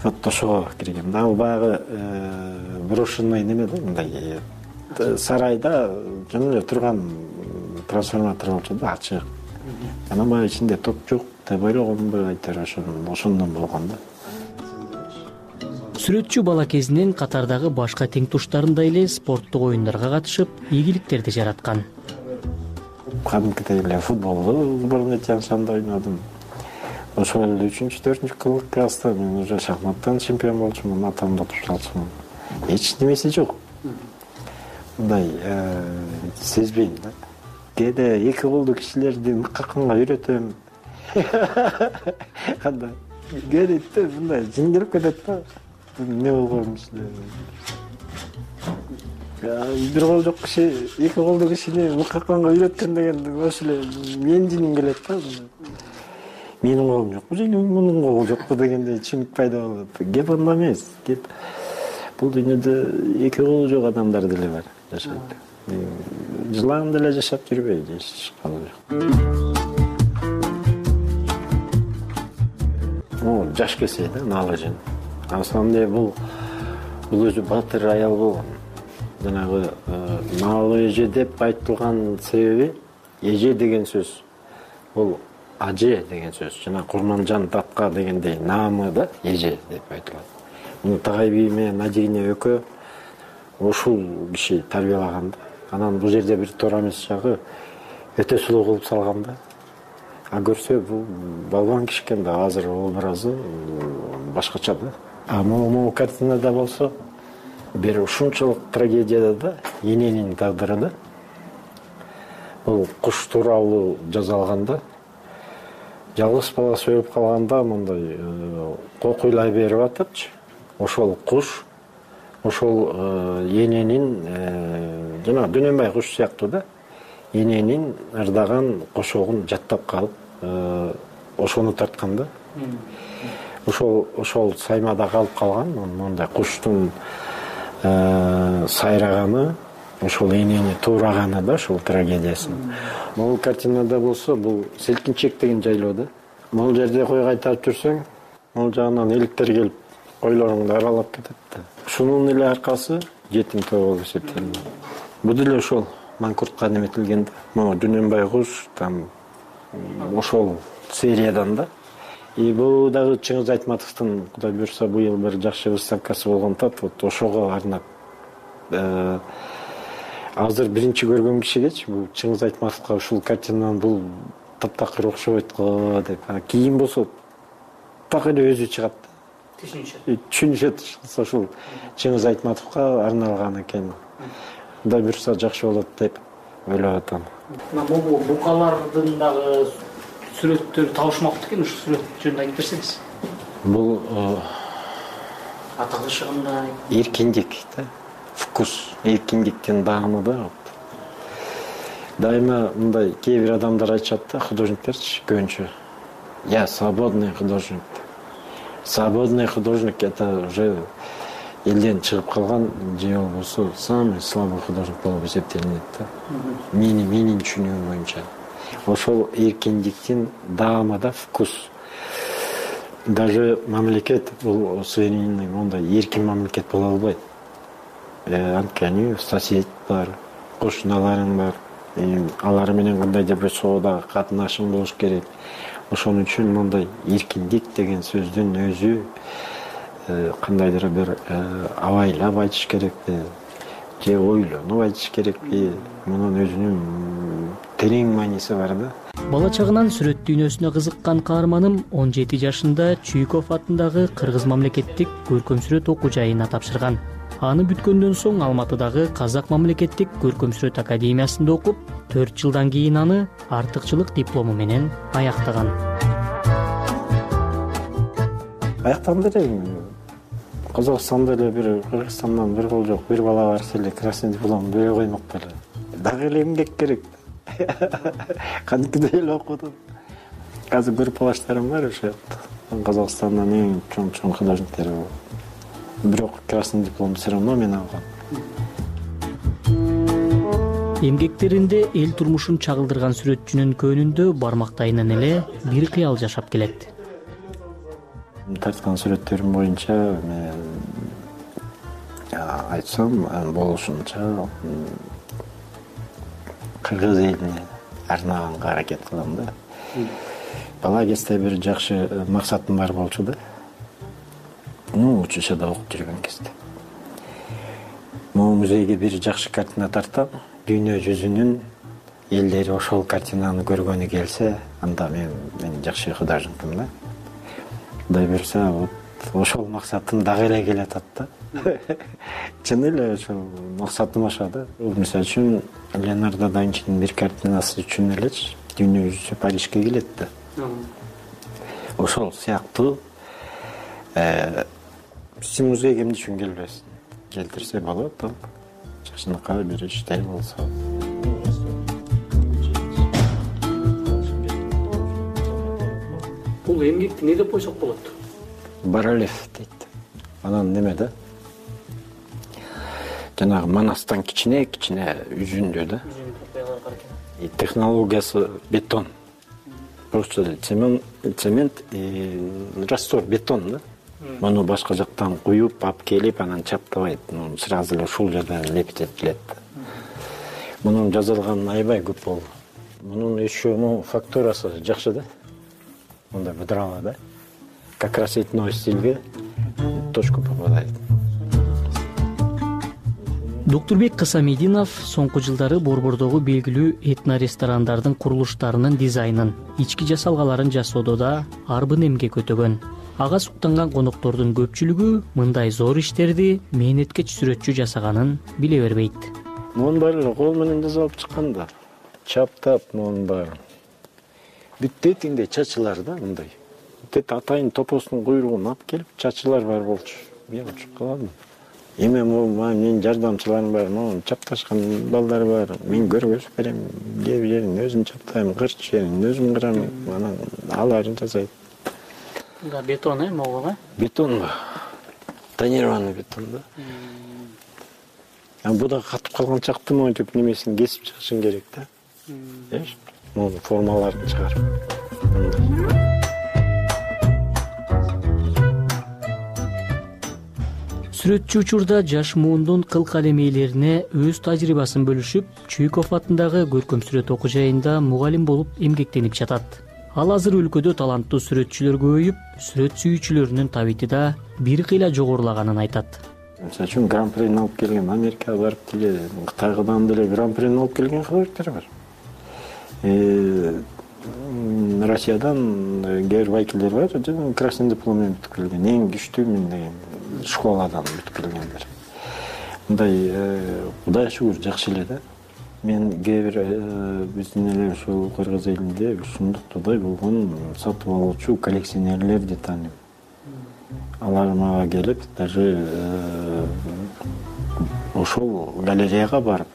Вот ошого киргем. Ал баягы брошенный неме да, мындай сарайда жана эле турган трансформатор болчу да, ачык. Анан баягы ичинде топ жок деп ойлогонбу, айтор ошондон болгон да. Сүрөтчү бала кезинен катардагы башка тең туштарындай эле спорттук оюндарга катышып, ийгиликтерди жараткан. кадимкидей эле футболду сборной Тянь-Шанда ойнодум. Ошол эле 3-4 класста мен уже шахматтан чемпион болчумун, атамды утуп алчумун. Эч немеси жок. Мындай сезбейм да. Кээде 2 колдуу кишилерди мыккаканга үйрөтөм. Кандай кээде мындай жиңдирип кетет да. Не болгон эле. Бир кол жок киши 2 колдуу кишини мыккаканга үйрөткөн деген ошол эле менин жиним келет да. Менин колум жокпу же мунун колу жокпу дегендей түшүнүк пайда болот. Кеп анда эмес. Кеп бул дүйнөдө 2 колу жок адамдар деле бар жашайт. Жылаан деле жашап жүрбөйт, эч калы жок. Жаш келсе да, наалажын. На самом деле бул өзү батыр аял болгон. Жанагы наалы эже деп айтылган себеби эже деген сөз. Бул аже деген сөз. Жана Курманжан татка дегендей наамы да эже деп айтылат. Муну Тагай би менен Надигине экөө ушул киши тарбиялаган да. Анан бул жерде бир туура эмес жагы өтө сулуу кылып салган да. А көрсө бул балбан киши экен да, азыр образы башкача да. А могу картинада болсо бир ушунчалык трагедияда да, эненин тагдыры да. Бул куш тууралуу жазалган да. Жалгыз баласы өлүп калганда мындай кокуйлай берип атыпчы. Ошол куш, ошол эненин жана Дөнөнбай куш сыяктуу да, эненин ырдаган кошогун жаттап калып, ошону тарткан да. Ошол саймада калып калган, мондай куштун сайраганы, ошол энени туураганы да, ошол трагедиясын. Могул картинада болсо, бул Селкинчек деген жайлоо да. Могул жерде кой кайтарып жүрсөң, могул жагынан эликтер келип койлоруңду аралап кетет да. Ушунун эле аркасы жетим тоо болуп эсептелинет. Бул деле ошол Манкуртка неметилген да. Могу Дөнөнбай куш там ошол сериядан да. И бул дагы Чыңгыз Айтматовдун, Кудай буйрса, быйыл бир жакшы выставкасы болгондо, вот ошого арнап азыр биринчи көргөн кишигечи бул Чыңгыз Айтматовго ушул картинанын бул таптакыр окшобойт го деп. Кийин болсо так эле өзү чыгат. Түшүнүшөт. Ошол Чыңгыз Айтматовго арналган экен. Кудай буйрса жакшы болот деп ойлоп атам. Могу букалардын дагы сүрөттөрү табышмактуу экен, ушу сүрөт жөнүндө айтып берсеңиз. Бул аталышы кандай? Эркиндик да. Вкус, эркиндиктин даамы да. Дайыма мындай кээ бир адамдар айтышат да, художниктерчи көбүнчө. Я свободный художник. Свободный художник это уже элден чыгып калган же болбосо самый слабый художник болуп эсептелинет да. Менин түшүнүгүм боюнча. Ошол эркиндиктин даамы да, вкус. Даже мамлекет бул суверенный, мондай эркин мамлекет боло албайт. Анткени сосед бар, кошуналарың бар. Алар менен кандайдыр бир соода катнашың болуш керек. Ошон үчүн мондай эркиндик деген сөздүн өзү кандайдыр бир абайлап айтыш керекпи, же ойлонуп айтыш керекпи, мунун өзүнүн терең мааниси бар да. Бала чагынан сүрөт дүйнөсүнө кызыккан каарманым 17 жашында Чуйков атындагы Кыргыз мамлекеттик көркөм сүрөт окуу жайына тапшырган. Аны бүткөндөн соң Алматыдагы Казак мамлекеттик көркөм сүрөт академиясында окуп, 4 жылдан кийин аны артыкчылык диплому менен аяктаган. Аяктаганда эле Казакстанда эле бир Кыргызстандан бир кол жок, бир бала барса эле красный диплом бере коймок беле. Дагы эле эмгек керек. Кантип эле окудум. Азыр группалаштарым бар ошо жакта. Казакстандан эң чоң художниктер бар. Бирок красный диплом все равно мен алгам. Эмгектеринде эл турмушун чагылдырган сүрөтчүнүн көөнүндө бармактайынан эле бир кыял жашап келет. Тарткан сүрөттөрүм боюнча мен айтсам болушунча кыргыз элине арнаганга аракет кылам да. Бала кезде бир жакшы максатым бар болчу да. Учушада окуп жүргөн кезде. Могу музейге бир жакшы картина тартам. Дүйнө жүзүнүн элдер ошол картинаны көргөнү келсе, анда мен жакшы художникмин да. Кудай буюрса, вот ошол максатым дагы эле келатат да. Чын эле ошол максатым ошо да. Мисалы үчүн Леонардо да Винчинин бир картинасы үчүн элечи дүйнө жүзү Парижге келет да. Ошол сыяктуу сен музейге эмне үчүн келбесин? Келтирсе болот, жакшынакай бир иште болсо. Бул эмгекти эмне деп койсок болот? Баралев дейт. Анан неме да? Жанагы манастан кичине үзүндө да. Технологиясы бетон. Просто цемент раствор бетон да. Муну башка жактан куюп, алып келип, анан чаптабайт. Сразу эле ушул жерден лепить этилет. Мунун жазылган аябай көп болду. Мунун еще фактурасы жакшы да. Мындай быдырала да. Как раз этной стилге точку попадает. Доктурбек Кысамединов соңку жылдары Борбордогу белгилүү этно ресторандардын курулуштарынын дизайнын, ички жасалгаларын жасоодо да арбын эмгек өтөгөн. Ага суктанган коноктордун көпчүлүгү мындай зор иштерди мээнеткеч сүрөтчү жасаганын биле бербейт. Мунун баары кол менен жасалып чыккан да. Чаптап мунун баары. Бүттетиңде чачылар да мындай. Бүттет атайын топосунун куйругун алып келип, чачылар бар болчу. Мен учуп калдым. Эми менин жардамчыларым бар, чапташкан балдар бар. Мен көргөзүп берем, кээ бир жерин өзүм чаптайм, кырч жерин өзүм кырам, анан аларын жасайт. Да, бетон могул Бетон, тонированный бетон да. Буда катып калган чакты монтип немесин кесип чыгышың керек да. Мунун формаларын чыгарып. Сүрөтчү учурда жаш муундун кыл калемейлерине өз тажрыйбасын бөлүшүп, Чуйков атындагы көркөм сүрөт окуу жайында мугалим болуп эмгектенип жатат. Ал азыр өлкөдө таланттуу сүрөтчүлөр көбөйүп, сүрөт сүйүүчүлөрүнүн табити да бир кыйла жогорулаганын айтат. Мисалы үчүн гран-прини алып келген, Америкага барып деле, Кытайдан деле гран-прини алып келген художниктер бар. Россиядан кээ бир вайкилдер бар, красный диплом менен бүтүп келген, эң күчтүү мен деген школадан бүтүп келгендер. Мындай Кудай шүгүр жакшы эле да. Мен кээ бир биздин эле ушул Кыргыз элинде ушундуктай болгон сатып алуучу коллекционерлерди тааныйм. Алар мага келип, даже ошол галереяга барып,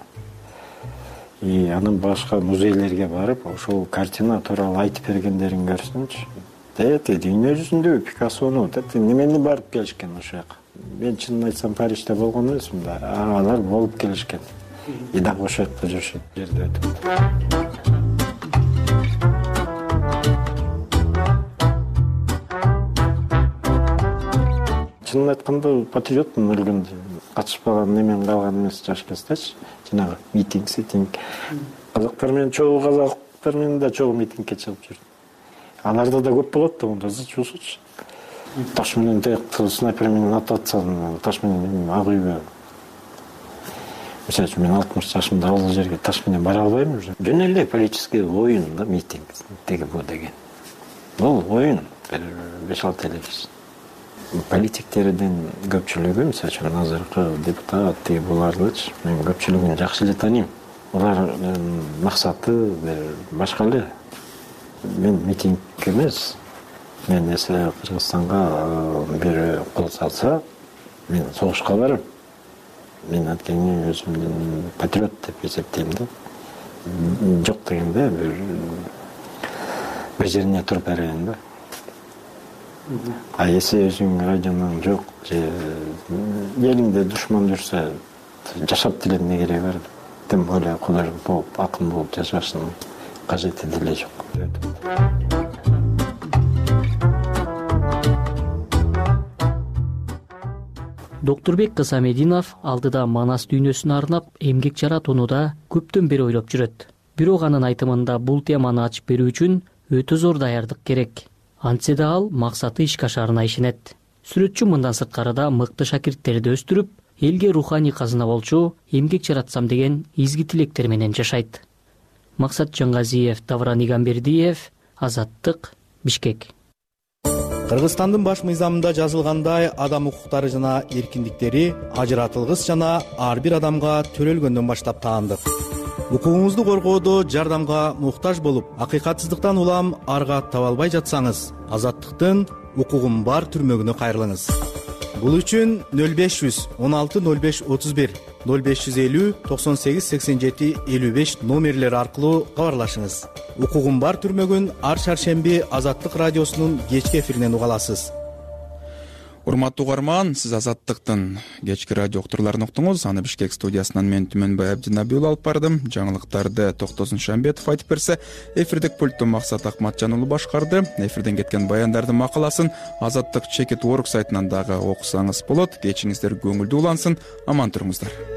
анын башка музейлерге барып, ошол картина тууралуу айтып бергендерин көрсөмчү. Дүйнө жүзүндө Пикассону немени барып келишкен ошол жака. Мен чынын айтсам Парижде болгон эмесмин да, алар болуп келишкен. И дагы ошол жакта жүрүшөт, жерде өтүп. Чынын айтканда патриотмун өлгөндө. Катышпаган немен калган эмес жаш кездечи. Жанагы митинг. Казактар менен да чогуу митингке чыгып жүрдүм. Аларда да көп болот да, онда зычуусучу. Таш менен снайпер менен атып атсам, таш менен ак үйгө. Мисалы үчүн мен 60 жашымда ал жерге таш менен бара албайм уже. Жөн эле политический оюн да митинг деген бу деген. Бул оюн 5-6 эле киши. Политиктердин көпчүлүгү, мисалы үчүн азыркы депутат булардычы, мен көпчүлүгүн жакшы эле тааныйм. Алар максаты башка эле. Мен митинг эмес. Мен эсе Кыргызстанга бир кол салса, мен согушка барам. Мен анткени өзүмдүн патриот деп эсептейм да. Жок дегенде бир жерине туруп берейин да. Эсе өзүң радионун жок, элиңде душман жүрсө, жашап деле эмне кереги бар? Тем более художник болуп, акын болуп жашашынын кажети деле жок. Доктурбек Кысамединов алдыда Манас дүйнөсүнө арнап эмгек жаратуунуда көптөн бери ойлоп жүрөт. Бирок анын айтымында бул теманы ачып берүү үчүн өтө зор даярдык керек. Антсе да ал максаты ишке ашарына ишенет. Сүрөтчү мындан сырткары да мыкты шакирттерди өстүрүп, элге руханий казына болчу эмгек жаратсам деген изги тилектер менен жашайт. Максат Жаңгазиев, Давран Игамбердиев, Азаттык, Бишкек. Кыргызстандын баш мыйзамында жазылгандай, адам укуктары жана эркиндиктери ажыратылгыс жана ар бир адамга төрөлгөндөн баштап таандык. Укугуңузду коргоодо жардамга муктаж болуп, акыйкатсыздыктан улам арга таба албай жатсаңыз, Азаттыктын укугум бар түрмөгүнө кайрылыңыз. Бул үчүн 0500 16 05 31 0550 98 87 55 номерлери аркылуу кабарлашыңыз. Укугум бар түрмөгүн ар шаршемби Азаттык радиосунун кечки эфиринен уга аласыз. Урматтуу угарман, сиз Азаттыктын кечки радио уктурларын уктуңуз. Аны Бишкек студиясынан мен Түмөнбай Абдинабиул алып бардым. Жаңылыктарды Токтосун Шамбетов айтып берсе, эфирдик пультту Максат Акматжан уулу башкарды. Эфирден кеткен баяндардын макаласын Азаттык Чекит Орг сайтынан дагы окусаңыз болот. Кечиңиздер көңүлдүү улансын. Аман туруңуздар.